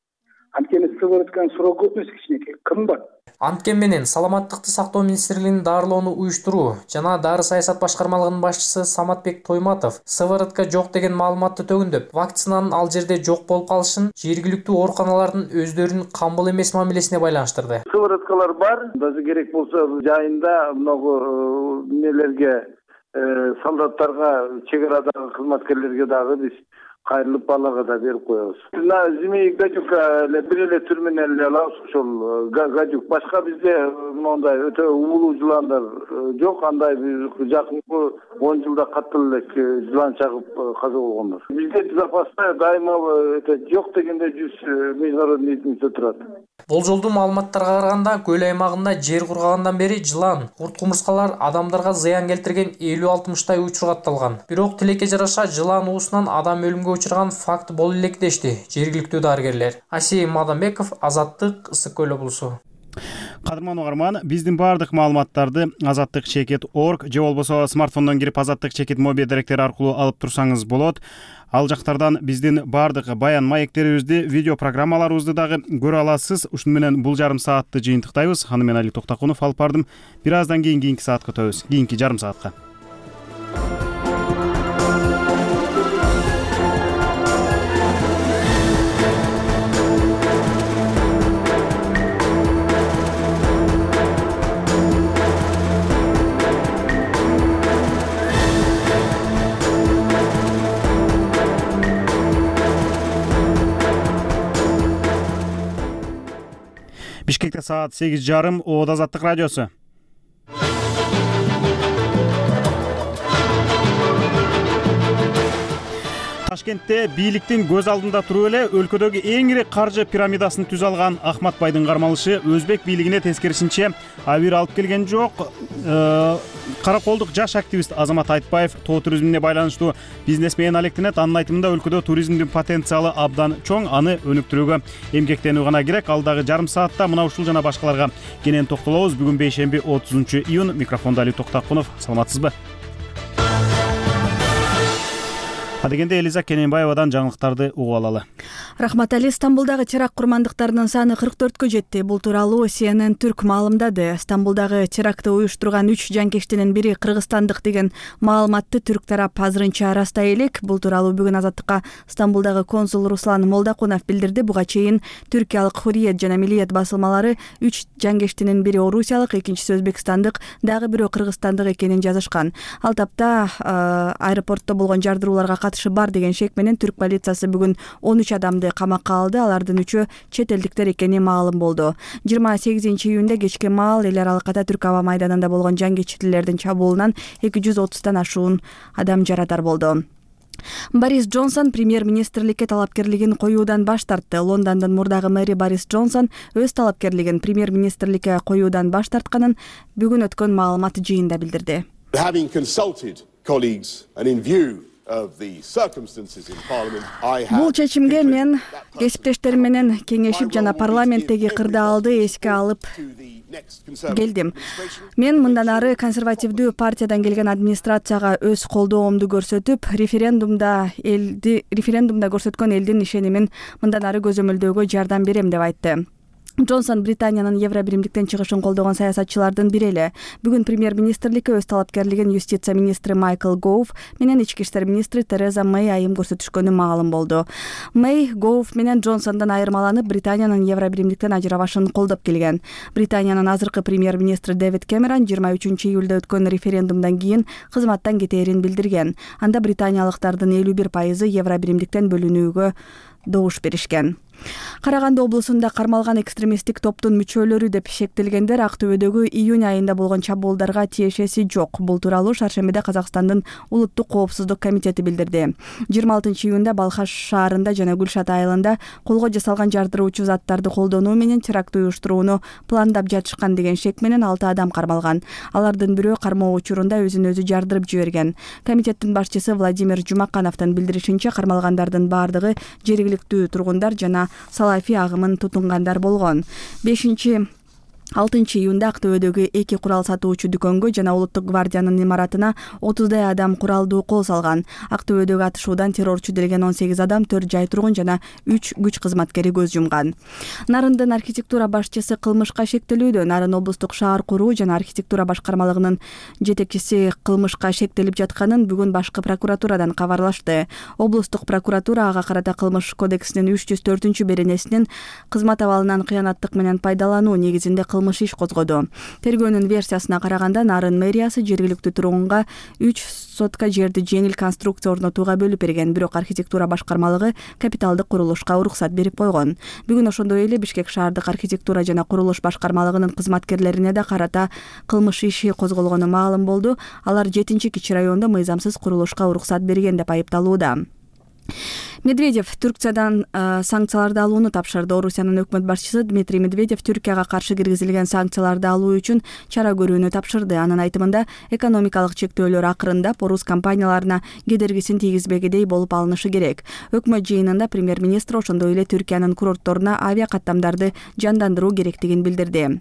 Анткени сыворотканын срок өтмөсү кичинекей, кымбат. Анткени менен саламаттыкты сактоо министрлигинин дарылоону уюштуруу жана дары саясат башкармалыгынын башчысы Саматбек Тойматов сыворотка жок деген маалыматты төгүндөп, вакцинанын ал жерде жок болуп калышын жергиликтүү ооруканалардын өздөрүнүн камбыл эмес мамилесине байланыштырды. Сывороткалар бар, даже керек болсо жайында много нелерге солдаттарга, чек арадагы кызматкерлерге дагы биз кайрылып балага да берип коебуз. На зимний гадюка бир эле түр менен эле алабыз, ошол гадюк. Башка бизде мондай өтө уулуу жыландар жок, андай биз жакынкы 10 жылда катуу эле жылан чагып каза болгондор. Бизде запаста дайыма жок дегенде 100 международный единица турат. Болжолдуу маалыматтарга караганда көл аймагында жер кургагандан бери жылан, курт кумурскалар адамдарга зыян келтирген 50-60 учур катталган. Бирок тилекке жараша жылан уусунан адам өлүмгө учурган факт боло элек дешти жергиликтүү дарыгерлер. Асий Мадамбеков, Азаттык, Ысык Көл облусу. Кадырман угарман, биздин баардык маалыматтарды azattik.org же болбосо смартфондон кирип azattik моби деректери аркылуу алып турсаңыз болот. Ал жактардан биздин баардык баян маектерибизди, видео программаларыбызды дагы көрө аласыз. Ушуну менен бул жарым саатты жыйынтыктайбыз. Аны мен Али Токтакунов алып бардым. Бир аздан кийинки саатка өтөбүз. Кийинки жарым саатка. Бишкекте саат 8:30. Ода Азаттык радиосу. Ташкентте бийликтин көз алдында туруп эле өлкөдөгү эң ири каржы пирамидасын түзө алган Ахмат байдын кармалышы өзбек бийлигине тескерисинче абийир алып келген жок. Караколдук жаш активист Азамат Айтбаев тоо туризмине байланыштуу бизнес менен алектенет. Анын айтымында өлкөдө туризмдин потенциалы абдан чоң, аны өнүктүрүүгө эмгектенүү гана керек. Алдагы жарым саатта мына ушул жана башкаларга кенен токтолобуз. Бүгүн бейшемби 30-июнь. Микрофондо Али Токтакунов. Саламатсызбы? Адегенде Элиза Кененбаевадан жаңылыктарды угуп алалы. Рахмат Али. Стамбулдагы теракт курмандыктарынын саны 44-кө жетти. Бул тууралуу CNN Түрк маалымдады. Стамбулдагы терактты уюштурган 3 жанкештинин бири кыргызстандык деген маалыматты түрк тарап азырынча арастай элек. Бул тууралуу бүгүн Азаттыкка Стамбулдагы консул Руслан Молдакунов билдирди. Буга чейин түркиялык Хурриет жана Миллиет басылмалары 3 жанкештинин бири орусиялык, экинчиси өзбекстандык, дагы бирөө кыргызстандык экенин жазышкан. Ал тапта аэропортто болгон жардырууларга катышы бар деген шек менен түрк полициясы бүгүн 13 адамды камакка алды. Алардын 3-ü чет элдиктер экени маалым болду. 28-июнда кечке маал эл аралыкта Түрк аба майданында болгон жангечилердин чабуулунан 230тан ашуун адам жарадар болду. Борис Джонсон премьер-министрликке талапкерлигин коюудан баш тартты. Лондондун мурдагы мэри Борис Джонсон өз талапкерлигин премьер-министрликке коюудан баш тартканын бүгүн өткөн маалымат жыйында билдирди. Бул чечимге мен кесиптештерим менен кеңешип жана парламенттеги кырдаалды эске алып келдим. Мен мындан ары консервативдүү партиядан келген администрацияга өз колдоомду көрсөтүп, референдумда көрсөткөн элдин ишенимин мындан ары көзөмөлдөөгө жардам берем деп айтты. Джонсон Британиянын Евробиримдиктен чыгышын колдогон саясатчылардын бири эле. Бүгүн премьер-министрликке өз талапкерлигин юстиция министри Майкл Гоуф менен ички иштер министри Тереза Мэй айым көрсөтүшкөнү маалым болду. Мэй Гоуф менен Джонсондон айырмаланып, Британиянын Евробиримдиктен ажырабашын колдоп келген. Британиянын азыркы премьер-министри Дэвид Кэмерон 23-июлда өткөн референдумдан кийин кызматтан кетээрин билдирген. Анда британиялыктардын 51% Евробиримдиктен бөлүнүүгө добуш беришкен. Караганды облусунда кармалган экстремисттик топтун мүчөлөрү деп шектелгендер Актөбөдөгү июнь айында болгон чабуулдарга тиешеси жок. Бул тууралуу Шаршембиде Казакстандын улуттук коопсуздук комитети билдирди. 26-июнда Балхаш шаарында жана Гүлшат айылында колго жасалган жардыруучу заттарды колдонуу менен теракт уюштурууну пландап жатышкан деген шек менен 6 адам кармалган. Алардын бирөө кармоо учурунда өзүн өзү жардырып жиберген. Комитеттин башчысы Владимир Жумакановдун билдиришинче, кармалгандардын баардыгы жергиликтүү тургундар жана салафи агымын тутунгандар болгон. 6-июнда Актөбөдөгү 2 курал сатуучу дүкөнгө жана Улуттук гвардиянын имаратына 30дай адам куралдуу кол салган. Актөбөдөгү атышуудан террорчу делген 18 адам, 4 жай тургун жана 3 күч кызматкери көз жумган. Нарындын архитектура башчысы кылмышка шектелүүдө. Нарын облустук шаар куруу жана архитектура башкармалыгынын жетекчиси кылмышка шектелип жатканын бүгүн башкы прокуратурадан кабарлашты. Облустук прокуратура ага карата кылмыш кодексинин 304-беренесинин кызмат абалынан кыянаттык менен пайдалануу негизинде кылмыш иш козгоду. Тергөөнүн версиясына караганда Нарын мэриясы жергиликтүү тургунга 3 сотка жерди жеңил конструкция орнотууга бөлүп берген, бирок архитектура башкармалыгы капиталдык курулушка уруксат берип койгон. Бүгүн ошондой эле Бишкек шаардык архитектура жана курулуш башкармалыгынын кызматкерлерине да карата кылмыш иши козголгону маалым болду. Алар 7-Кичи районунда мыйзамсыз курулушка уруксат берген деп айыпталууда. Медведев Түркиядан санкцияларды алууну тапшырды. Орусиянын өкмөт башчысы Дмитрий Медведев Түркияга каршы киргизилген санкцияларды алуу үчүн чара көрүүнү тапшырды. Анын айтымында, экономикалык чектөөлөр акырындап орус компанияларына кедергисин тийгизбегидей болуп алынышы керек. Өкмөт жыйынында премьер-министр ошондой эле Түркиянын курортторуна авиа каттамдарды жандандыруу керектигин билдирди.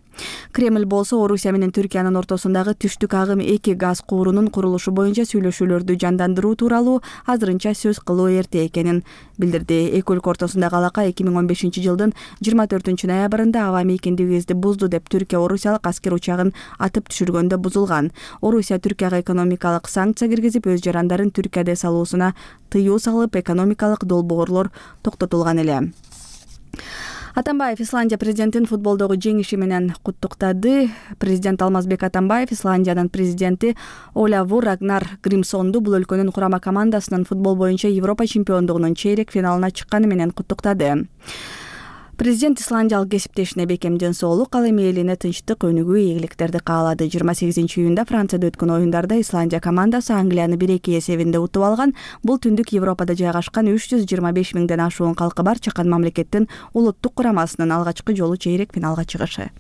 Кремль болсо Орусия менен Түркиянын ортосундагы түштүк агым 2 газ куурунун курулушу боюнча сүйлөшүүлөрдү жандандыруу тууралуу азырынча сөз кылуу эрте экенин билдирди. Эки өлкө ортосундагы алака 2015-жылдын 24-ноябрында аба мейкиндигибизди бузду деп Түркия орусиялык аскер учагын атып түшүргөндө бузулган. Орусия Түркияга экономикалык санкция киргизип, өз жарандарын Түркияда салуусуна тыюу салып, экономикалык долбоорлор токтотулган эле. Атамбаев Исландия президентин футболдогу жеңиши менен куттуктады. Президент Алмазбек Атамбаев Исландиянын президенти Олавур Рагнар Гримсонду бул өлкөнүн курама командасынын футбол боюнча Европа чемпиондугунун чейрек финалына чыкканы менен куттуктады. Президент исландиялык кесиптешине бекем ден соолук, ал эми элине тынчтык, өнүгүү, ийгиликтерди каалады. 28-июнда Францияда өткөн оюндарда Исландия командасы Англияны 1-2 эсебинде утуп алган. Бул түндүк Европада жайгашкан 325 миңден ашуун калкы бар чакан мамлекеттин улуттук курамасынын алгачкы жолу чейрек финалга чыгышы.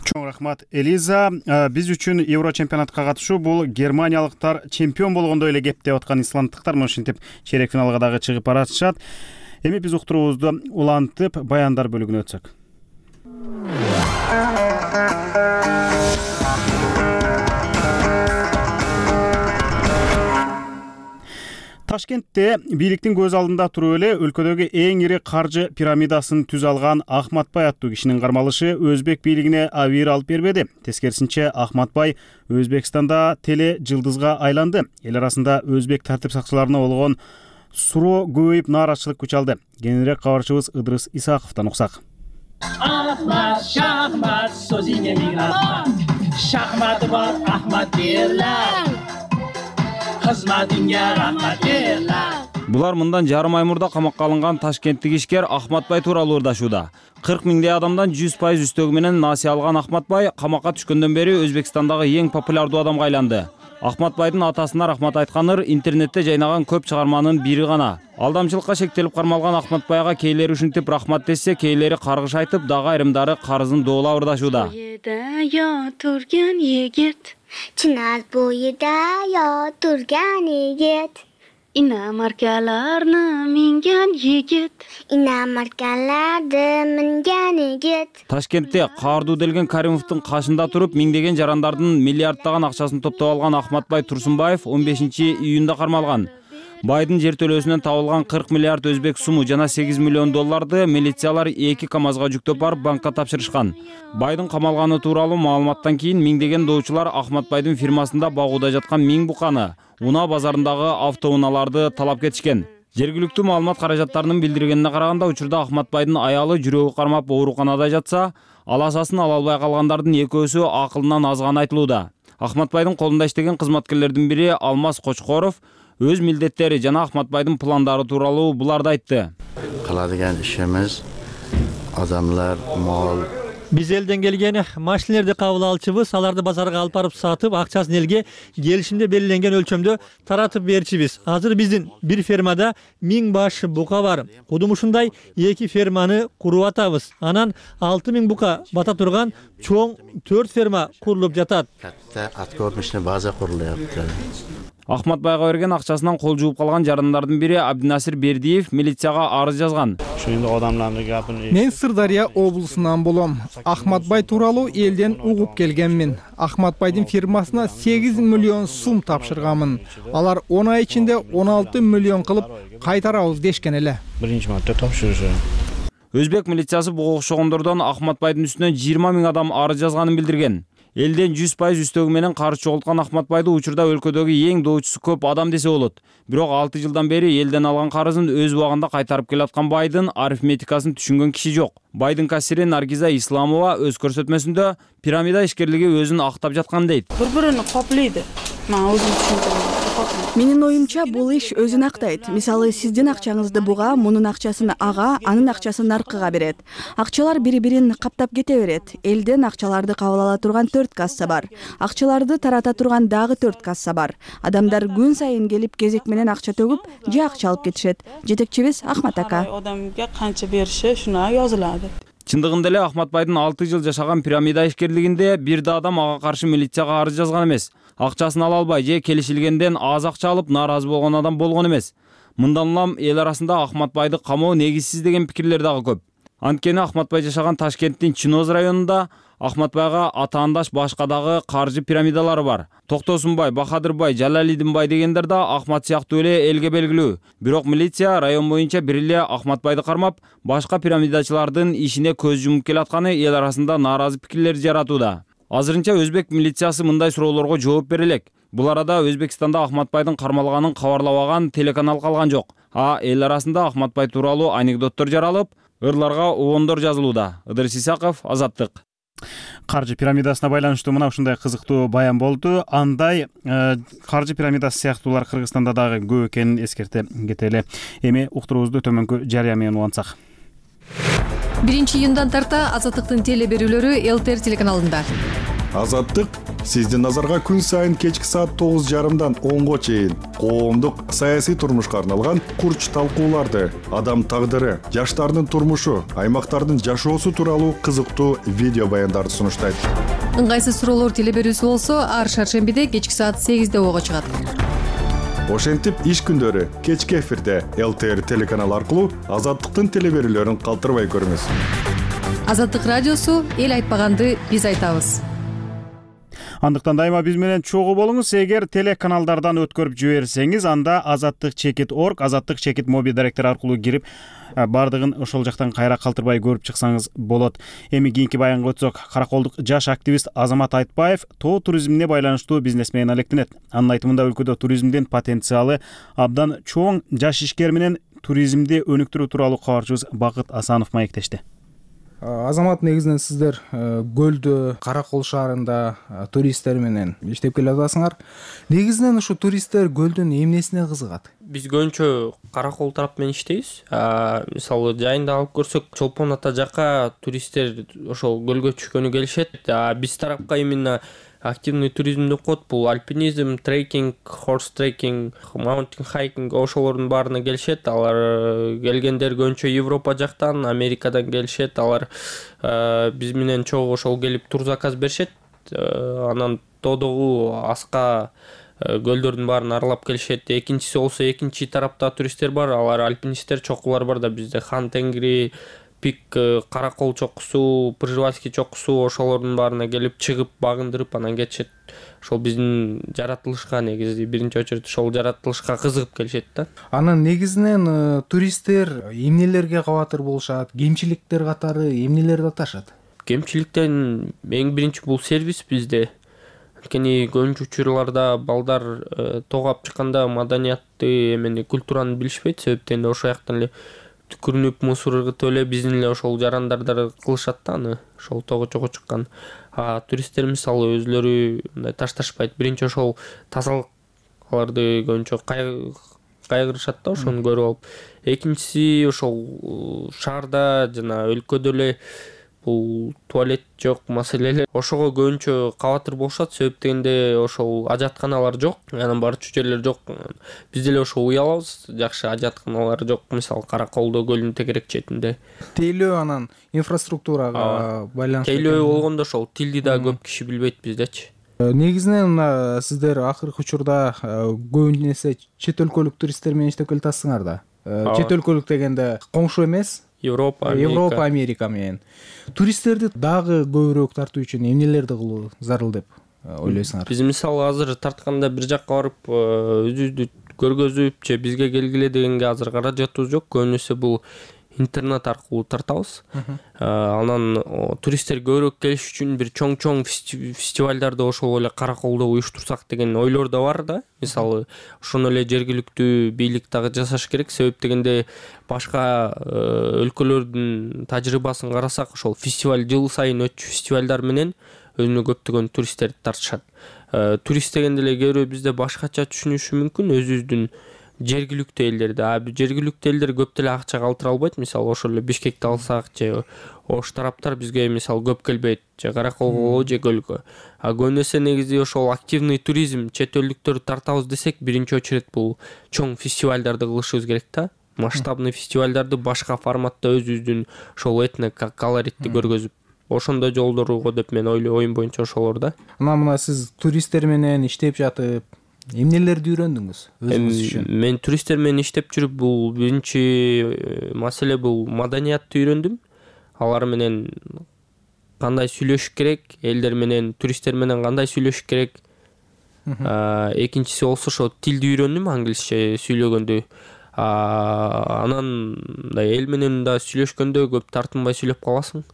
Чоң рахмат, Элиза. Биз үчүн Евро чемпионатка катышуу бул германиялыктар чемпион болгондой эле кеп деп аткан исланддыктар ушинтип чейрек финалга дагы чыгып баратышат. Эми биз уктуруубузду улантып баяндар бөлүгүнө өтсөк. Ташкентте бийликтин көз алдында туруп эле өлкөдөгү эң ири каржы пирамидасын түзө алган Ахматбай аттуу кишинин кармалышы өзбек бийлигине абийир алып бербеди. Тескерисинче Ахматбай Өзбекстанда теле жылдызга айланды. Эл арасында өзбек тартип сакчыларына болгон суроо көбөйүп, нааразычылык күч алды. Кененирээк кабарчыбыз Ыдрыс Исаковдон уксак. Ahmad, Şahmat, sözüne min rahmat. Şahmat var, Ahmad derler. Hizmetinge rahmat derler. Булар мындан жарым ай мурда камакка алынган ташкенттик ишкер Ахматбай тууралуу ырдашууда. 40 миңдей адамдан 100% үстөгү менен насыя алган Ахматбай камакка түшкөндөн бери Өзбекстандагы эң популярдуу адамга айланды. Ахматбайдын атасына рахмат айтканыр интернетте жайнаган көп чыгарманын бири гана. Алдамчылыкка шектелип кармалган Ахматбайга кейлери ушинтип рахмат десе, кейлери каргыш айтып, дагы айрымдары карызын доолап ырдашууда. Turgan yigit, Chinaz bo'yida yo turgan yigit, inamarkalarni mingan yigit, inamarkalarni mingan yigit. Ташкентте Каардуу делген Каримовдун кашында туруп, миңдеген жарандардын миллиарддаган акчасын топтоп алган Ахматбай Турсунбаев 15-июнда кармалган. Байдын жер төлөөсүнөн табылган 40 миллиард өзбек суму жана 8 миллион долларды милициялар 2 КАМАЗга жүктөп барып банкка тапшырышкан. Байдын камалганы тууралуу маалыматтан кийин миңдеген доочулар Ахматбайдын фирмасында багууда жаткан 1000 буканы, унаа базарындагы автоунааларды талап кетишкен. Жергиликтүү маалымат каражаттарынын билдиргенине караганда, учурда Ахматбайдын аялы жүрөгү кармап ооруканада жатса, аласасын ала албай калгандардын экөөсү акылынан азганы айтылууда. Ахматбайдын колунда иштеген кызматкерлердин бири Алмаз Кочкоров өз милдеттери жана Ахматбайдын пландары тууралуу буларды айтты. Кылadigan ишimiz адамдар, мал. Биз элден келген машинелерди кабыл алчыбыз, аларды базарга алып барып сатып, акчасын элге келишимде белгиленген өлчөмдө таратып берчибиз. Азыр биздин бир фермада 1000 баш бука бар. Кудум ушундай 2 ферманы куруп атабыз. Анан 6000 бука бата турган чоң 4 ферма курулуп жатат. Катта откормочный база курулуп. Ахматбайга берген акчасынан кол жууп калган жарандардын бири Абдинасир Бердиев милицияга арыз жазган. Мен Сырдария облусунан болом. Ахматбай тууралуу элден угуп келгенмин. Ахматбайдын фирмасына 8 миллион сум тапшырганмын. Алар 10 ай ичинде 16 миллион кылып кайтарабыз дешкен эле. Өзбек милициясы буга окшогондордон Ахматбайдын үстүнө 20 000 адам арыз жазганын билдирген. Элден 100% үстөгү менен карыз чогулткан Ахматбайды учурда өлкөдөгү эң доочусу көп адам десе болот. Бирок 6 жылдан бери элден алган карызын өз убагында кайтарып келаткан Байдын арифметикасын түшүнгөн киши жок. Байдын кассири Наргиза Исламова өз көрсөтмөсүндө пирамида ишкерлиги өзүн актап жаткан дейт. Бири-бирин коплойт. Менин оюмча бул иш өзүн актайт. Мисалы, сиздин акчаңызды буга, мунун акчасын ага, анын акчасын наркыга берет. Акчалар бири-бирин каптап кете берет. Элден акчаларды кабыл ала турган 4 касса бар. Акчаларды тарата турган дагы 4 касса бар. Адамдар күн сайын келип кезек менен акча төгүп, же акча алып кетишет. Жетекчибиз Ахмат ака. Адамга канча бериши шуна жазылады. Чындыгында эле Ахматбайдын 6 жыл жашаган пирамида ишкерлигинде бир да адам ага каршы милицияга арыз жазган эмес. Акчасын ала албай же келишилгенден аз акча алып нааразы болгон адам болгон эмес. Мындан улам эл арасында Ахматбайды камоо негизсиз деген пикирлер дагы көп. Анткени Ахматбай жашаган Ташкенттин Чиноз районунда Ахматбайга атаандаш башка дагы каржы пирамидалары бар. Токтосунбай, Бахадырбай, Жалалидин бай дегендер да Ахмат сыяктуу эле элге белгилүү. Бирок милиция район боюнча бир эле Ахматбайды кармап, башка пирамидачылардын ишине көз жумуп келатканы эл арасында нааразы пикирлер жаратууда. Азырынча өзбек милициясы мындай суроолорго жооп бере элек. Бул арада Өзбекстанда Ахматбайдын кармалганын кабарлабаган телеканал калган жок. Эл арасында Ахматбай тууралуу анекдоттор жаралып, ырларга обондор жазылууда. Ыдырыс Исаков, Азаттык. Каржы пирамидасына байланыштуу мына ушундай кызыктуу баян болду. Андай каржы пирамидасы сыяктуулар Кыргызстанда дагы көп экенин эскерте кетели. Эми уктуруубузду төмөнкү жарыя менен улантсак. 1-июндан тарта Азаттыктын теле берүүлөрү ЛТР телеканалында. Азаттык сиздин назарга күн сайын кечки саат 9:30дан 10го чейин коомдук саясий турмушка арналган курч талкууларды, адам тагдыры, жаштардын турмушу, аймактардын жашоосу тууралуу кызыктуу видео баяндарды сунуштайт. Ыңгайсыз суроолор теле берүүсү болсо, ар шаршембиде кечки саат 8де ого чыгат. Ошентип иш күндөрү кечки эфирде ЛТР телеканалы аркылуу Азаттыктын теле берүүлөрүн калтырбай көрүңүз. Азаттык радиосу эл айтпаганды биз айтабыз. Андыктан дайыма биз менен чогуу болуңуз. Эгер телеканалдардан өткөрүп жиберсеңиз, анда azattik.org, azattik моби директор аркылуу кирип, бардыгын ошол жактан кайра калтырбай көрүп чыксаңыз болот. Эми кийинки баянга өтсөк, караколдук жаш активист Азамат Айтбаев тоо туризмине байланыштуу бизнес менен алектенет. Анын айтымында өлкөдө туризмдин потенциалы абдан чоң. Жаш ишкер менен туризмди өнүктүрүү тууралуу кабарчыбыз Бакыт Асанов маектешти. Азамат, негизинен сиздер Көлдө, Каракол шаарында туристтер менен иштеп келе атасыңар. Негизинен ушу туристтер Көлдүн эмнесине кызыгат? Биз көбүнчө Каракол тарап менен иштейбиз. Мисалы жайында алып көрсөк, Чолпон ата жакка туристтер ошол көлгө түшкөнү келишет. Биз тарапка именно активный туризм деп коет. Бул альпинизм, трекинг, хорс трекинг, маунтин хайкинг ошолордун баарына келишет. Алар келгендер көбүнчө Европа жактан, Америкадан келишет. Алар биз менен чогуу ошол келип тур заказ беришет. Анан тоодогу аска көлдөрдүн баарын аралап келишет. Экинчиси болсо экинчи тарапта туристтер бар. Алар альпинисттер, чокулар бар да бизде Хан Тенгри, Пик, Каракол чокусу, Пржевальский чокусу ошолордун баарына келип чыгып багындырып анан кетишет. Ошол биздин жаратылышка негизи биринчи очередь ошол жаратылышка кызыгып келишет да. Анан негизинен туристтер эмнелерге кабатыр болушат, кемчиликтер катары эмнелерди аташат? Кемчиликтен эң биринчи бул сервис bizde. Анткени көбүнчө учурларда балдар тоогап чыкканда маданиятты, эмени культураны билишпейт. Себептен ошол жактан эле түкүрүнүп мусор ыргытып эле биздин эле ошол жарандардар кылышат да аны, ошол тоого чогуу чыккан. Туристтер мисалы өзлөрү мындай ташташпайт. Биринчи ошол тазалык, аларды көбүнчө кайгырышат да ошону көрүп алып. Экинчиси ошол шаарда жана өлкөдө эле бул туалет жок маселелер. Ошого көбүнчө кабатыр болушат. Себептегенде ошол ажатканалар жок, анан барчу жерлер жок. Биз деле ошол уялабыз, жакшы ажатканалар жок. Мисалы Караколдо көлдүн тегерек четинде. Тейлөө анан инфраструктурага байланыштуу. Тейлөө болгондо ошол тилди да көп киши билбейт биздечи. Негизинен сиздер акыркы учурда көбүн эсе чет өлкөлүк туристтер менен иштеп келатасыңар да. Чет өлкөлүк дегенде коңшу эмес, Европа, Америка менен. Туристтерди дагы көбүрөөк тартуу үчүн эмнелерди кылуу зарыл деп ойлойсуңар? Биз мисалы азыр тартканда бир жакка барып өзүбүздү көргөзүп же бизге келгиле дегенге азыр каражатыбыз жок. Көбүнесе бул интернет аркылуу тартабыз. Анан туристтер көбүрөөк келиш үчүн бир чоң фестивалдарды ошол эле Караколдо уюштурсак деген ойлор да бар да. Мисалы, ошону эле жергиликтүү бийлик дагы жасаш керек. Себеп дегенде башка өлкөлөрдүн тажрыйбасын карасак, ошол фестиваль жыл сайын өтчү фестивалдар менен өзүнө көптөгөн туристтерди тартышат. Турист дегенде эле кээ бирөө бизде башкача түшүнүшү мүмкүн, өзүбүздүн жергиликтүү элдерди. Жергиликтүү элдер көп деле акча калтыра албайт. Мисалы, ошол эле Бишкекти алсак, же ош тараптар бизге мисалы көп келбейт, же Караколго, же Көлгө. Көбүнесе негизи ошол активный туризм, чет элдиктөрдү тартабыз десек, биринчи очередь бул чоң фестивалдарды кылышыбыз керек да. Масштабный фестивалдарды башка форматта өзүбүздүн ошол этно-колоритти көргөзүп, ошондой жолдорго деп мен оюм боюнча ошолор да. Мына сиз туристтер менен иштеп жатып эмнелерди үйрөндүңүз өзүңүз үчүн? Мен туристтер менен иштеп жүрүп, бул биринчи маселе бул маданиятты үйрөндүм. Алар менен кандай сүйлөшүш керек, элдер менен, туристтер менен кандай сүйлөшүш керек. Экинчиси болсо ошо тилди үйрөндүм, англисче сүйлөгөндө. Анан эл менен да сүйлөшкөндө көп тартынбай сүйлөп каласың.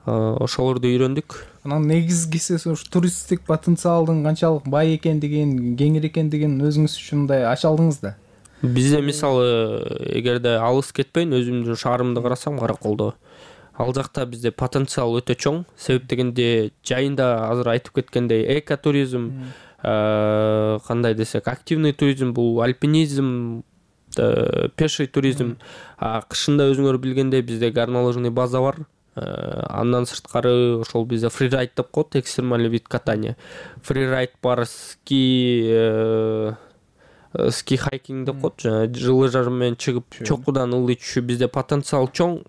Ошолорду үйрөндүк. Анан негизгиси туристтик потенциалдын канчалык бай экендигин, кеңир экендигин өзүңүз үчүн мындай ача алдыңыз да. Бизде мисалы, эгерде алыс кетпейин, өзүмдүн шаарымды карасам, Караколдо, ал жакта бизде потенциал өтө чоң. Себеп дегенде жайында азыр айтып кеткендей экотуризм, кандай десек, активный туризм, бул альпинизм, пеший туризм. Кышында өзүңөр билгендей бизде горнолыжный база бар. Андан сырткары ошол бизде фрирайд деп коет, экстремальный вид катания. Фрирайд бар, ски хайкинг деп коет, жылы жар менен чыгып чокудан ылдый түшүү. Бизде потенциал чоң.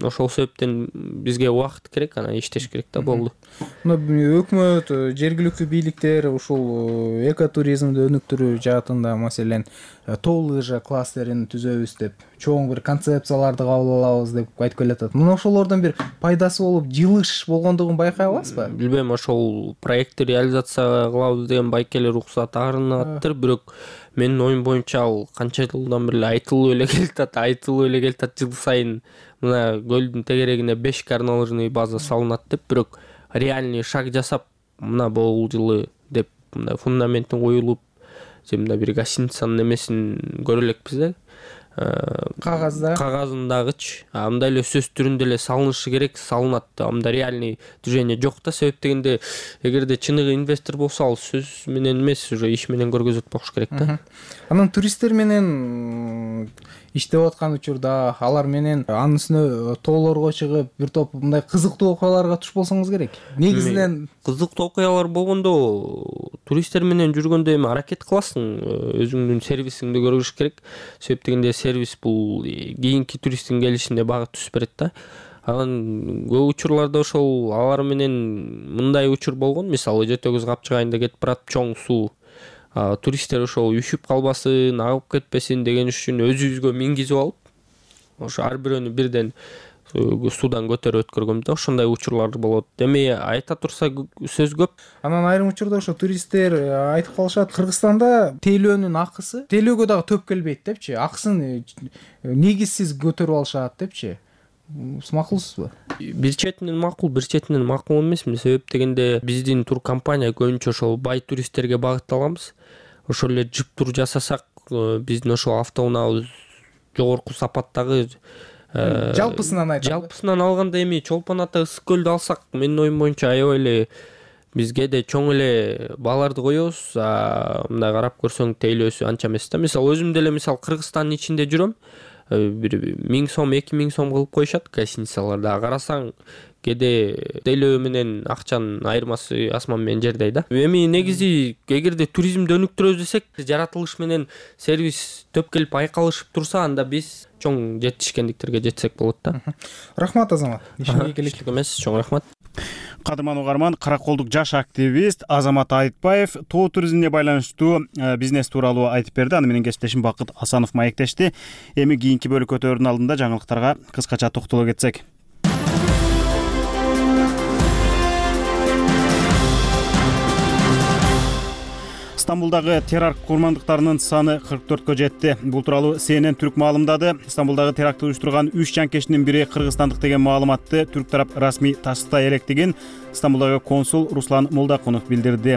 Ошол себептен бизге убакыт керек, анан иштеш керек да, болду. Өкмөт, жергиликтүү бийликтер ушул экотуризмди өнүктүрүү жаатында, маселен, тоо лыжа кластерин түзөбүз деп, чоң бир концепцияларды кабыл алабыз деп айтып келатат. Мына ошолордон бир пайдасы болуп, жылыш болгондугун байкай аласызбы? Билбейм, ошол проектти реализация кылабыз деген байкелер уруксат арынаттыр, бирок менин оюм боюнча ал канча жылдан бери айтылып эле келатат, жыл сайын мына көлдүн тегерегине 5 горнолыжный база салынат деп, бирок реальный шаг жасап, мына бул жылы деп мындай фундаменттин коюлуп, же мындай бир гостиницанын эмесин көрө элекпиз да. Кагазындагычы, мындай эле сөз түрүндө эле салынышы керек, салынат. Мында реальный движение жок да. Себеп дегенде, эгерде чыныгы инвестор болсо, ал сөз менен эмес, уже иш менен көргөзөт болуш керек да. Анан туристтер менен иштеп аткан учурда алар менен анын үстүнө тоолорго чыгып, бир топ мындай кызыктуу окуяларга туш болсоңуз керек. Негизинен кызыктуу окуялар болгондо туристтер менен жүргөндө эми аракет кыласың, өзүңдүн сервисиңди көрүш керек. Себеп дегенде сервис бул кийинки туристтин келишине багыт түзүп берет да. Анан көп учурларда ошол алар менен мындай учур болгон, мисалы Жетөгүз капчыгайында кетип барат чоң суу. Туристтер ошол үшүп калбасын, агып кетпесин деген үчүн өзүбүзгө мингизип алып, ошо ар бирөөнү бирден суудан көтөрүп өткөргөм да. Ошондой учурлар болот. Эми айта турса сөз көп. Анан айрым учурда ошо туристтер айтып калышат, Кыргызстанда тейлөөнүн акысы тейлөөгө дагы төп келбейт депчи, акысын негизсиз көтөрүп алышат депчи. Макулсузбу? Бир четинен макул, бир четинен макул эмес. Себеп дегенде биздин тур компания көбүнчө ошол бай туристтерге багытталганбыз. Ошол эле жып тур жасасак, биздин ошол автоунаабыз жогорку сапаттагы. Жалпысынан алганда эми Чолпон Ата Ысык көлдү алсак, менин оюм боюнча аябай эле бизге де чоң эле бааларды коебуз. Мындай карап көрсөң тейлөөсү анча эмес да. Мисалы өзүм деле Кыргызстандын ичинде жүрөм. Бир 1000 сом, 2000 сом кылып коюшат гостиницаларда. Карасаң, кээде тейлөө менен акчанын айырмасы асман менен жердей да. Эми негизи эгерде туризмди өнүктүрөбүз десек, жаратылыш менен сервис төп келип айкалышып турса, анда биз чоң жетишкендиктерге жетсек болот да. Рахмат, Азамат. Ишиңизге келек эмес, чоң рахмат. Кадырман угарман, Караколдук жаш активист Азамат Айтбаев тоо туризмине байланыштуу бизнес тууралуу айтып берди. Аны менен кесиптешим Бакыт Асанов маектешти. Эми кийинки бөлүк өтөөрдүн алдында жаңылыктарга кыскача токтоло кетсек. Стамбулдагы теракт курмандыктарынын саны 44-кө жетти. Бул тууралуу CNN Түрк маалымдады. Стамбулдагы терактты уюштурган 3 жанкештин бири кыргызстандык деген маалыматты түрк тарап расмий тастыйта электигин Стамбулдагы консул Руслан Молдакунов билдирди.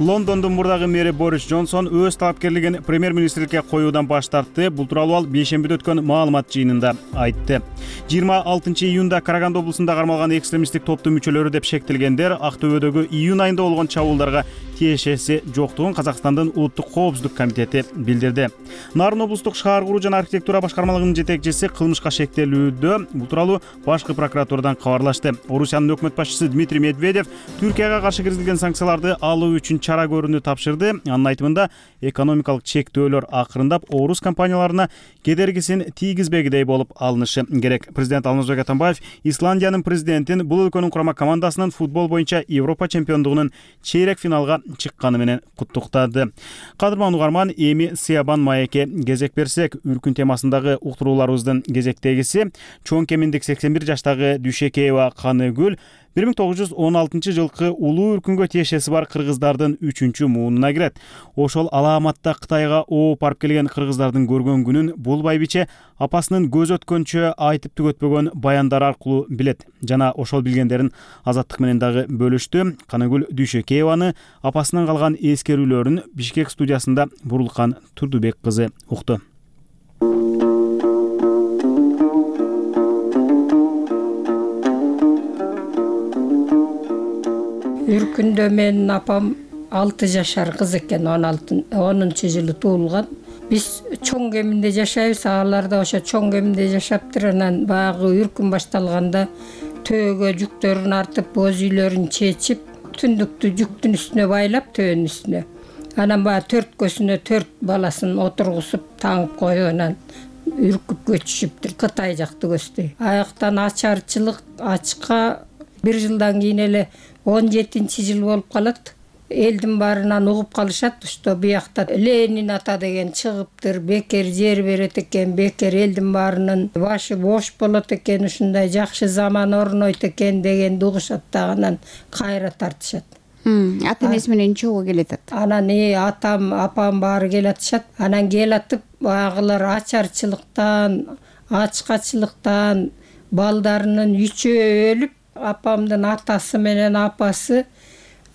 Лондондун мурдагы мэри Борис Джонсон өз талапкерлигин премьер-министрликке коюудан баш тартты. Бул тууралуу ал бейшембиде өткөн маалымат жыйынында айтты. 26 июнда Караганды облусунда кармалган экстремисттик топтун мүчөлөрү деп шектелгендер Актөбөдөгү июнь айында болгон чабуулдарга тиешеси жоктугун Казакстандын улуттук коопсуздук комитети билдирди. Нарын облустук шаар куруу жана архитектура башкармалыгынын жетекчиси кылмышка шектелүүдө. Бул тууралуу башкы прокуратурадан кабарлашты. Орусиянын өкмөт башчысы Дмитрий Медведев Түркияга каршы киргизилген санкцияларды алуу үчүн чара көрүүнү тапшырды. Анын айтымында экономикалык чектөөлөр акырындап орус компанияларына кедергисин тийгизбегидей болуп алынышы керек. Президент Алмазбек Атамбаев Исландиянын президентин бул өлкөнүн курама командасынын футбол боюнча Европа чемпиондугунун чейрек финалга чыкканы менен куттуктады. Кадырман угарман, эми Сыябан маекке кезек берсек, үркүн темасындагы уктурууларыбыздын кезектегиси чоң кеминдик 81 жаштагы Дүйшекеева Каныгүл 1916 жылкы улуу үркүнгө тиешеси бар кыргыздардын 3-чү муунуна кирет. Ошол алааматта Кытайга ооп барып келген кыргыздардын көргөн күнүн бул байбиче апасынын көз өткөнчө айтып түгөтпөгөн баяндар аркылуу билет. Жана ошол билгендерин Азаттык менен дагы бөлүштү. Каныгүл Дүйшекееваны апасынан калган эскерүүлөрүн Бишкек студиясында Бурулкан Турдубек кызы укту. Үркүндө менин апам 6 жашар кыз экен, 10 жылы туулган. Биз чоң кеминде жашайбыз, алар да ошо чоң кеминде жашаптыр. Анан баягы үркүн башталганда төөгө жүктөрүн артып, боз үйлөрүн чечип, түндүктү жүктүн үстүнө байлап, төөнүн үстүнө. Анан баягы 4 көзүнө 4 баласын отургузуп, таңып коюп, анан үркүп көчүшүптүр. Кытай жакты көздөй. Аяктан ачарчылык, ачка 1 жылдан кийин эле 17 жыл болуп калат. Элдин баарынан угуп калышат, что биякта Ленин ата деген чыгыптыр, бекер жер берет экен, бекер элдин баарынын башы бош болот экен, ушундай жакшы заман орнойт экен дегенди угушат да, анан кайра тартышат. Ата-энеси менен чогуу келатат. Анан атам, апам баары келатышат. Анан келатып, багылар ачарчылыктан, ачкачылыктан балдарынын 3-өө өлүп, апамдын атасы менен апасы,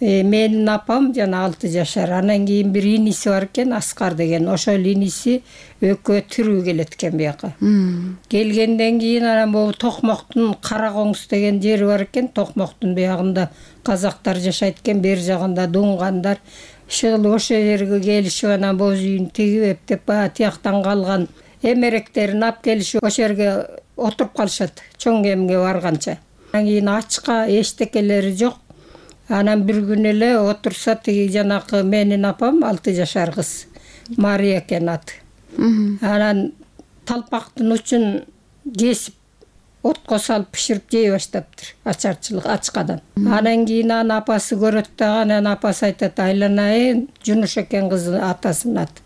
менин апам жана 6 жашар. Анан кийин бир иниси бар экен, Аскар деген. Ошол иниси экөө тирүү келет экен бияка. Келгенден кийин анан бул Токмоктун Кара Коңуз деген жери бар экен. Токмоктун биягында казактар жашайт экен, бер жагында дуңгандар. Ошол жерге келишип, анан боз үйүн тигип эптеп, тияктан калган эмеректерин алып келишип, ошол жерге отуруп калышат, чоң кемге барганча. Анан кийин ачка эчтекелери жок. Анан бир күн эле отурса, тиги жанакы менин апам 6 жашар кыз, Мария экен аты. Анан талпактын учун кесип, отко салып пиширип жей баштаптыр, ачарчылык ачкадан. Анан кийин анын апасы көрөт дагы, анан апасы айтат: "Айланайын", Жунуш экен кыздын атасынын аты.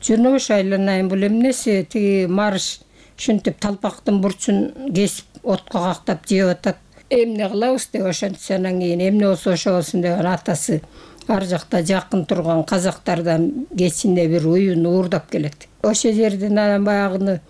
"Жунуш, айланайын, бул эмнеси?" Тиги марш ушинтип талпактын бурчун кесип отко кактап жеп атат. "Эмне кылабыз?" деп ошентсе, анан кийин "Эмне болсо ошо болсун" деп атасы ар жакта жакын турган казактардан кечинде бир уюн уурдап келет. Ошол жерден анан баягыны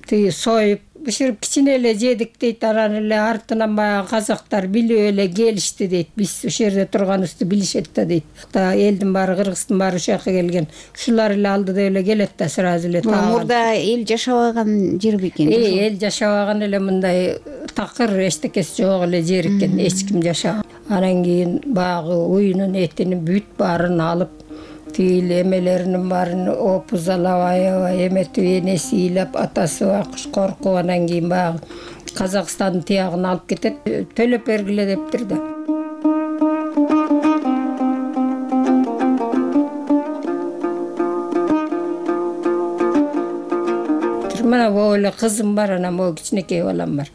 тиги союп биширип кичине эле жедик дейт. Анан эле артынан баягы казактар билип эле келишти дейт. Биз ошол жерде турганыбызды билишет да дейт. Элдин баары, кыргыздын баары ошол жака келген. Ушулар эле алды деп эле келет да сразу эле. Мурда эл жашабаган жер бекен. Эл жашабаган эле, мындай такыр эчтекеси жок эле жер экен, эч ким жашаган. Анан кийин баягы уюнун этинин бүт баарын алып, тил эмелеринин баарын опузалап, аябай эметип, энеси ыйлап, атасы акыш коркуп, анан кийин баягы Казакстандын тиягын алып кетет. Төлөп бергиле дептир да. Мына бул эле кызым бар, анан бул кичинекей балам бар.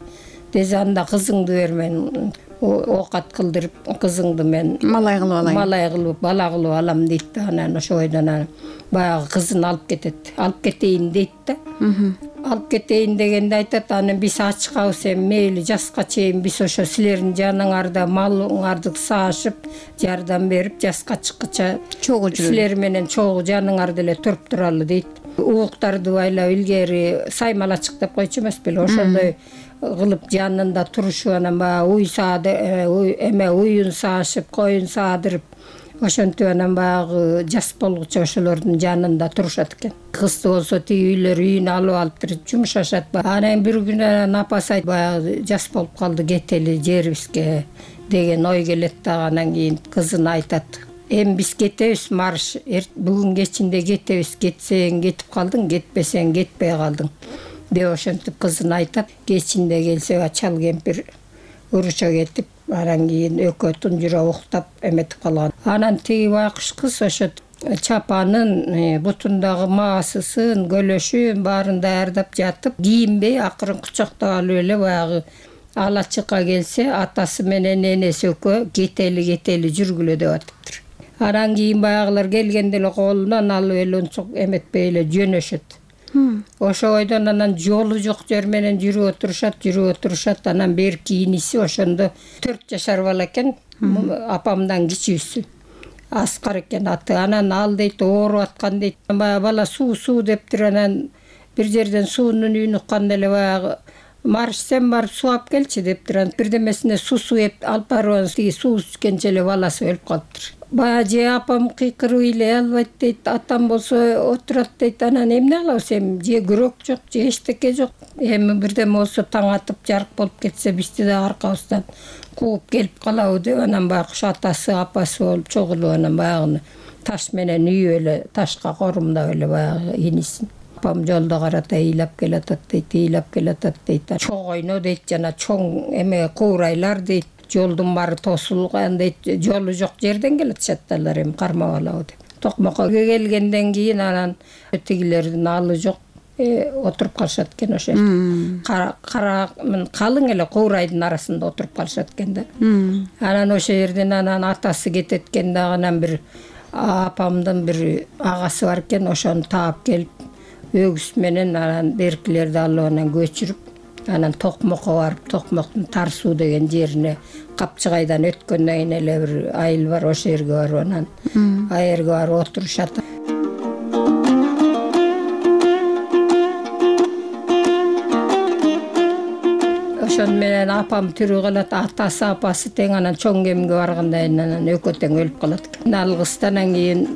Десе анда кызыңды бермен, оокат кылдырып, кызыңды мен малай кылып алайын. Малай кылып, бала кылып алам дейт да. Анан ошойдон баягы кызын алып кетет. Алып кетейин дейт да. алып кетейин дегенде айтат, анан биз ачкабыз, эми мейли жаска чейин биз ошо силердин жаныңарда малыңарды саашып, жардам берип, жаска чыккыча чогуу жүрөлү. Силер менен чогуу жаныңарда эле туруп туралы дейт. Угуктарды байлап илгери саймалачык деп койчу эмес беле, ошондой кылып жанында турушуп, анан баягы уюн саашып, коюн саадырып, ошентип анан баягы жас болгучу ошолордун жанында турушат экен. Кызды болсо тиги үйүнө алып туруп жумшашат. Анан бир күнү анан апасы айтты, баягы жас болуп калды, кетели жерибизге деген ой келет да, анан кийин кызына айтат, эми биз кетебиз, марш, бүгүн кечинде кетебиз, кетсең кетип калдың, кетпесең кетпей калдың деп ошентип кызына айтат. Кечинде келсе чал кемпир уруча кетип, анан кийин экөө тунжура уктап эметип калган. Анан тиги байкуш кыз ошо чапанын, бутундагы маасысын, көлөшүн баарын даярдап жатып, кийинбей акырын кучактап алып эле баягы ала чыкка келсе, атасы менен энеси экөө кетели жүргүлө деп атыптыр. Анан кийин баягылар келгенде эле колунан алып эле унчук эметпей эле жөнөшөт. Ошо бойдон анан жолу жок жер менен жүрүп отурушат, анан берки иниси ошондо 4 жашар бала экен, апамдан кичүүсү. Аскар экен аты. Анан ал дейт ооруп аткан дейт. Баягы бала суу дептир, анан бир жерден суунун үнүн укканда эле баягы марш сен барып суу алып келчи дептир. Анан бирдемесине суу алып барып, тиги суу ичкенче эле баласы өлүп калыптыр. Баягы же апам кыйкырып ыйлай албайт дейт, атам болсо отурат дейт. Анан эмне кылабыз эми, же күрөк жок, же эчтеке жок. Эми бирдеме болсо таң атып жарык болуп кетсе, бизди да аркабыздан кууп келип калабы деп, анан байкуш атасы, апасы болуп чогулуп, анан баягыны таш менен үйүп эле, ташка корумдап эле баягы инисин. Апам жолдо карата ыйлап келатат дейт. Чоң ойно дейт, жана чоң эме куурайлар дейт. Жолдун баары тосулган дейт, жолу жок жерден келатышат алар, эми кармап алабы деп. Токмокко келгенден кийин анан тигилердин алы жок, отуруп калышат экен ошо жерде. Калың эле куурайдын арасында отуруп калышат экен да. Анан ошо жерден анан атасы кетет экен да, анан бир апамдын бир агасы бар экен, ошону таап келип өгүз менен анан беркилерди алып анан көчүрүп, анан Токмокко барып, Токмоктун Тар суу деген жерине Капчыгайдан өткөндөн кийин эле бир айыл бар, ошол жерге барып анан аерге барып отурушат. Ошон менен апам тирүү калат, атасы, апасы тең, анан чоң кемиңге барганда анан экөө тең өлүп калат экен. Ал кыздан кийин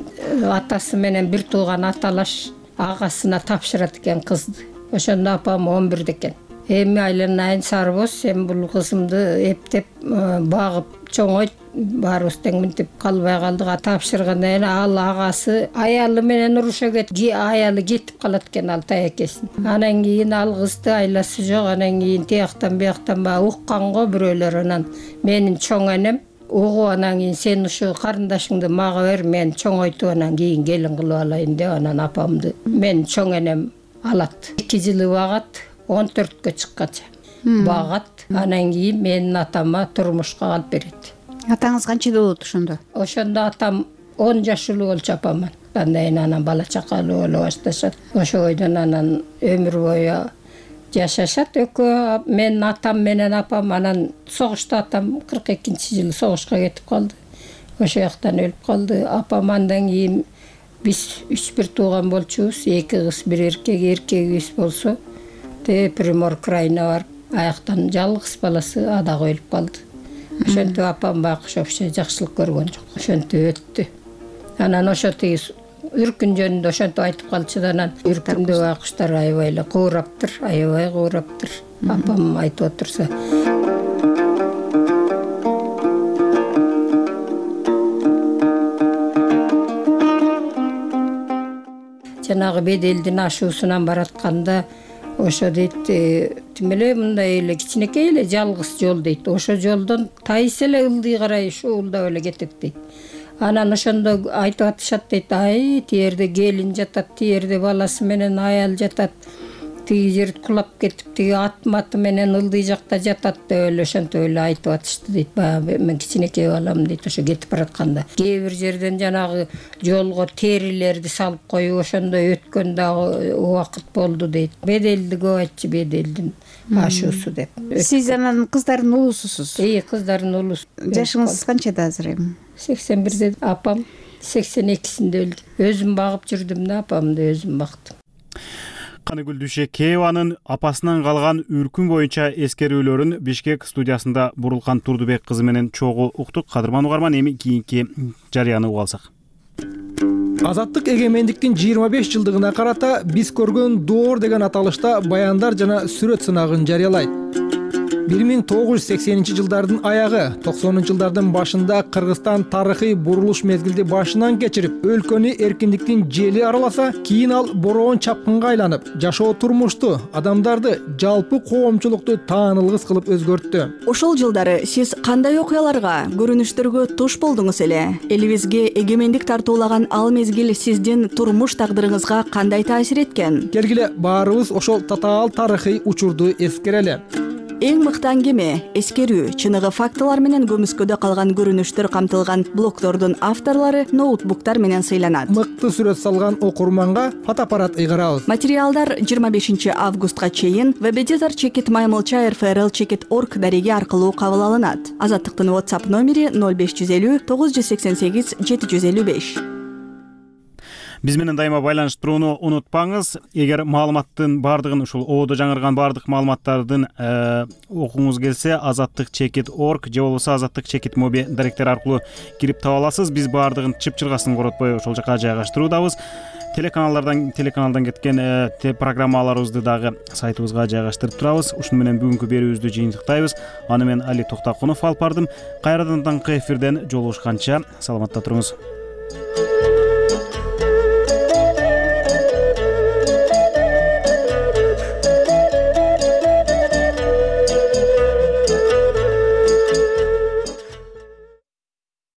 атасы менен бир тууган аталаш агасына тапшырат экен кызды. Ошондо апам 11 экен. Эми айланайын Сарыбоз, сен бул кызымды эптеп багып чоңойт, баарыбыз тең мынтип калбай калдык. Тапшыргандан кийин ал агасы аялы менен уруша аялы кетип калат экен, ал таякесин. Анан кийин ал кызды айласы жок, анан кийин тияктан бияктан баягы укканго бирөөлөр, анан менин чоң энем угуп, анан кийин сен ушу карындашыңды мага бер, мен чоңойтуп анан кийин келин кылып алайын деп, анан апамды менин чоң энем алат. 2 жылы багат, 14кө чыккача багат. Анан кийин менин атама турмушка алып берет. Атаңыз канчада болот ошондо? Ошондо атам 10 жашылуу болчу апаман. Анан бала чакалуу боло башташат. Ошо бойдон анан өмүр бою жашашат экөө. Менин атам менен апам анан согушта атам 42-жылы согушка кетип калды. Ошо жактан өлүп калды. Апам андан кийин биз 3 тууган болчубуз, 2 кыз, 1 эркек. Эркегибиз болсо Примор крайына барып, аяктан жалгыз баласы адагы өлүп калды. Ошентип апам байкуш вообще жакшылык көргөн жок. Ошентип өттү. Анан ошо тиги үркүн жөнүндө ошентип айтып калчу да, анан үркүндө байкуштар аябай эле куураптыр, аябай куураптыр. Апам айтып отурса. Жанагы беделдин ашуусунан баратканда ошо дейт, тим эле мындай эле кичинекей эле жалгыз жол дейт. Ошо жолдон тайыс эле ылдый карай шуулдап эле кетет дейт. Анан ошондо айтып атышат дейт, ай, тиерде келин жатат, тиерде баласы менен аял жатат, тиги жер кулап кетип тиги ат менен ылдый жакта жатат деп эле ошентип эле айтып атышты дейт. Баягы мен кичинекей балам дейт, ошо кетип баратканда кээ бир жерден жанагы жолго терилерди салып коюп ошондой өткөн дагы убакыт болду дейт. Беделди көп айтчу, беделдин ашуусу деп. Сиз анан кыздардын улуусусуз? Кыздардын улуусу. Жашыңыз канчада азыр эми? 81-де, апам 82-синде өлдү. Өзүм багып жүрдүм да, апамды өзүм бактым. Каныгүл Дүйшекееванын апасынан калган үркүн боюнча эскерүүлөрүн Бишкек студиясында Бурулкан Турдубек кызы менен чогуу уктук. Кадырман угарман, эми кийинки жарыяны угуп алсак. Азаттык эгемендиктин 25 жылдыгына карата биз көргөн доор деген аталышта баяндар жана сүрөт сынагын жарыялайт. 1980-жылдардын аягы, 90-жылдардын башында Кыргызстан тарыхый бурулуш мезгилди башынан кечирип, өлкөнү эркиндиктин жели араласа, кийин ал бороон чапкынга айланып, жашоо турмушту, адамдарды, жалпы коомчулукту таанылгыс кылып өзгөрттү. Ошол жылдары сиз кандай окуяларга, көрүнүштөргө туш болдуңуз эле? Элибизге эгемендик тартуулаган ал мезгил сиздин турмуш тагдырыңызга кандай таасир эткен? Келгиле баарыбыз ошол татаал тарыхый учурду эскерели. Эң мыкты аңгеме, эскерүү, чыныгы фактылар менен көмүскөдө калган көрүнүштөр камтылган блогдордун авторлору ноутбуктар менен сыйланат. Мыкты сүрөт салган окурманга фотоаппарат ыйгарабыз. Материалдар 25 августка чейин www.maymolcha.rfrl.org дареги аркылуу кабыл алынат. Азаттыктын WhatsApp номери 0550 988 755. Биз менен дайыма байланышып турууну унутпаңыз. Эгер маалыматтын бардыгын, ушул ободо жаңырган бардык маалыматтардын окуңуз келсе, azattik.org же болбосо azattik.mobi даректери аркылуу кирип таба аласыз. Биз бардыгын чып-чыргасын коротпой ошол жака жайгаштыруудабыз. Телеканалдан кеткен программаларыбызды дагы сайтыбызга жайгаштырып турабыз. Ушуну менен бүгүнкү берүүбүздү жыйынтыктайбыз. Аны мен Али Токтакунов алып бардым. Кайрадан таңкы эфирден жолугушканча саламатта туруңуз.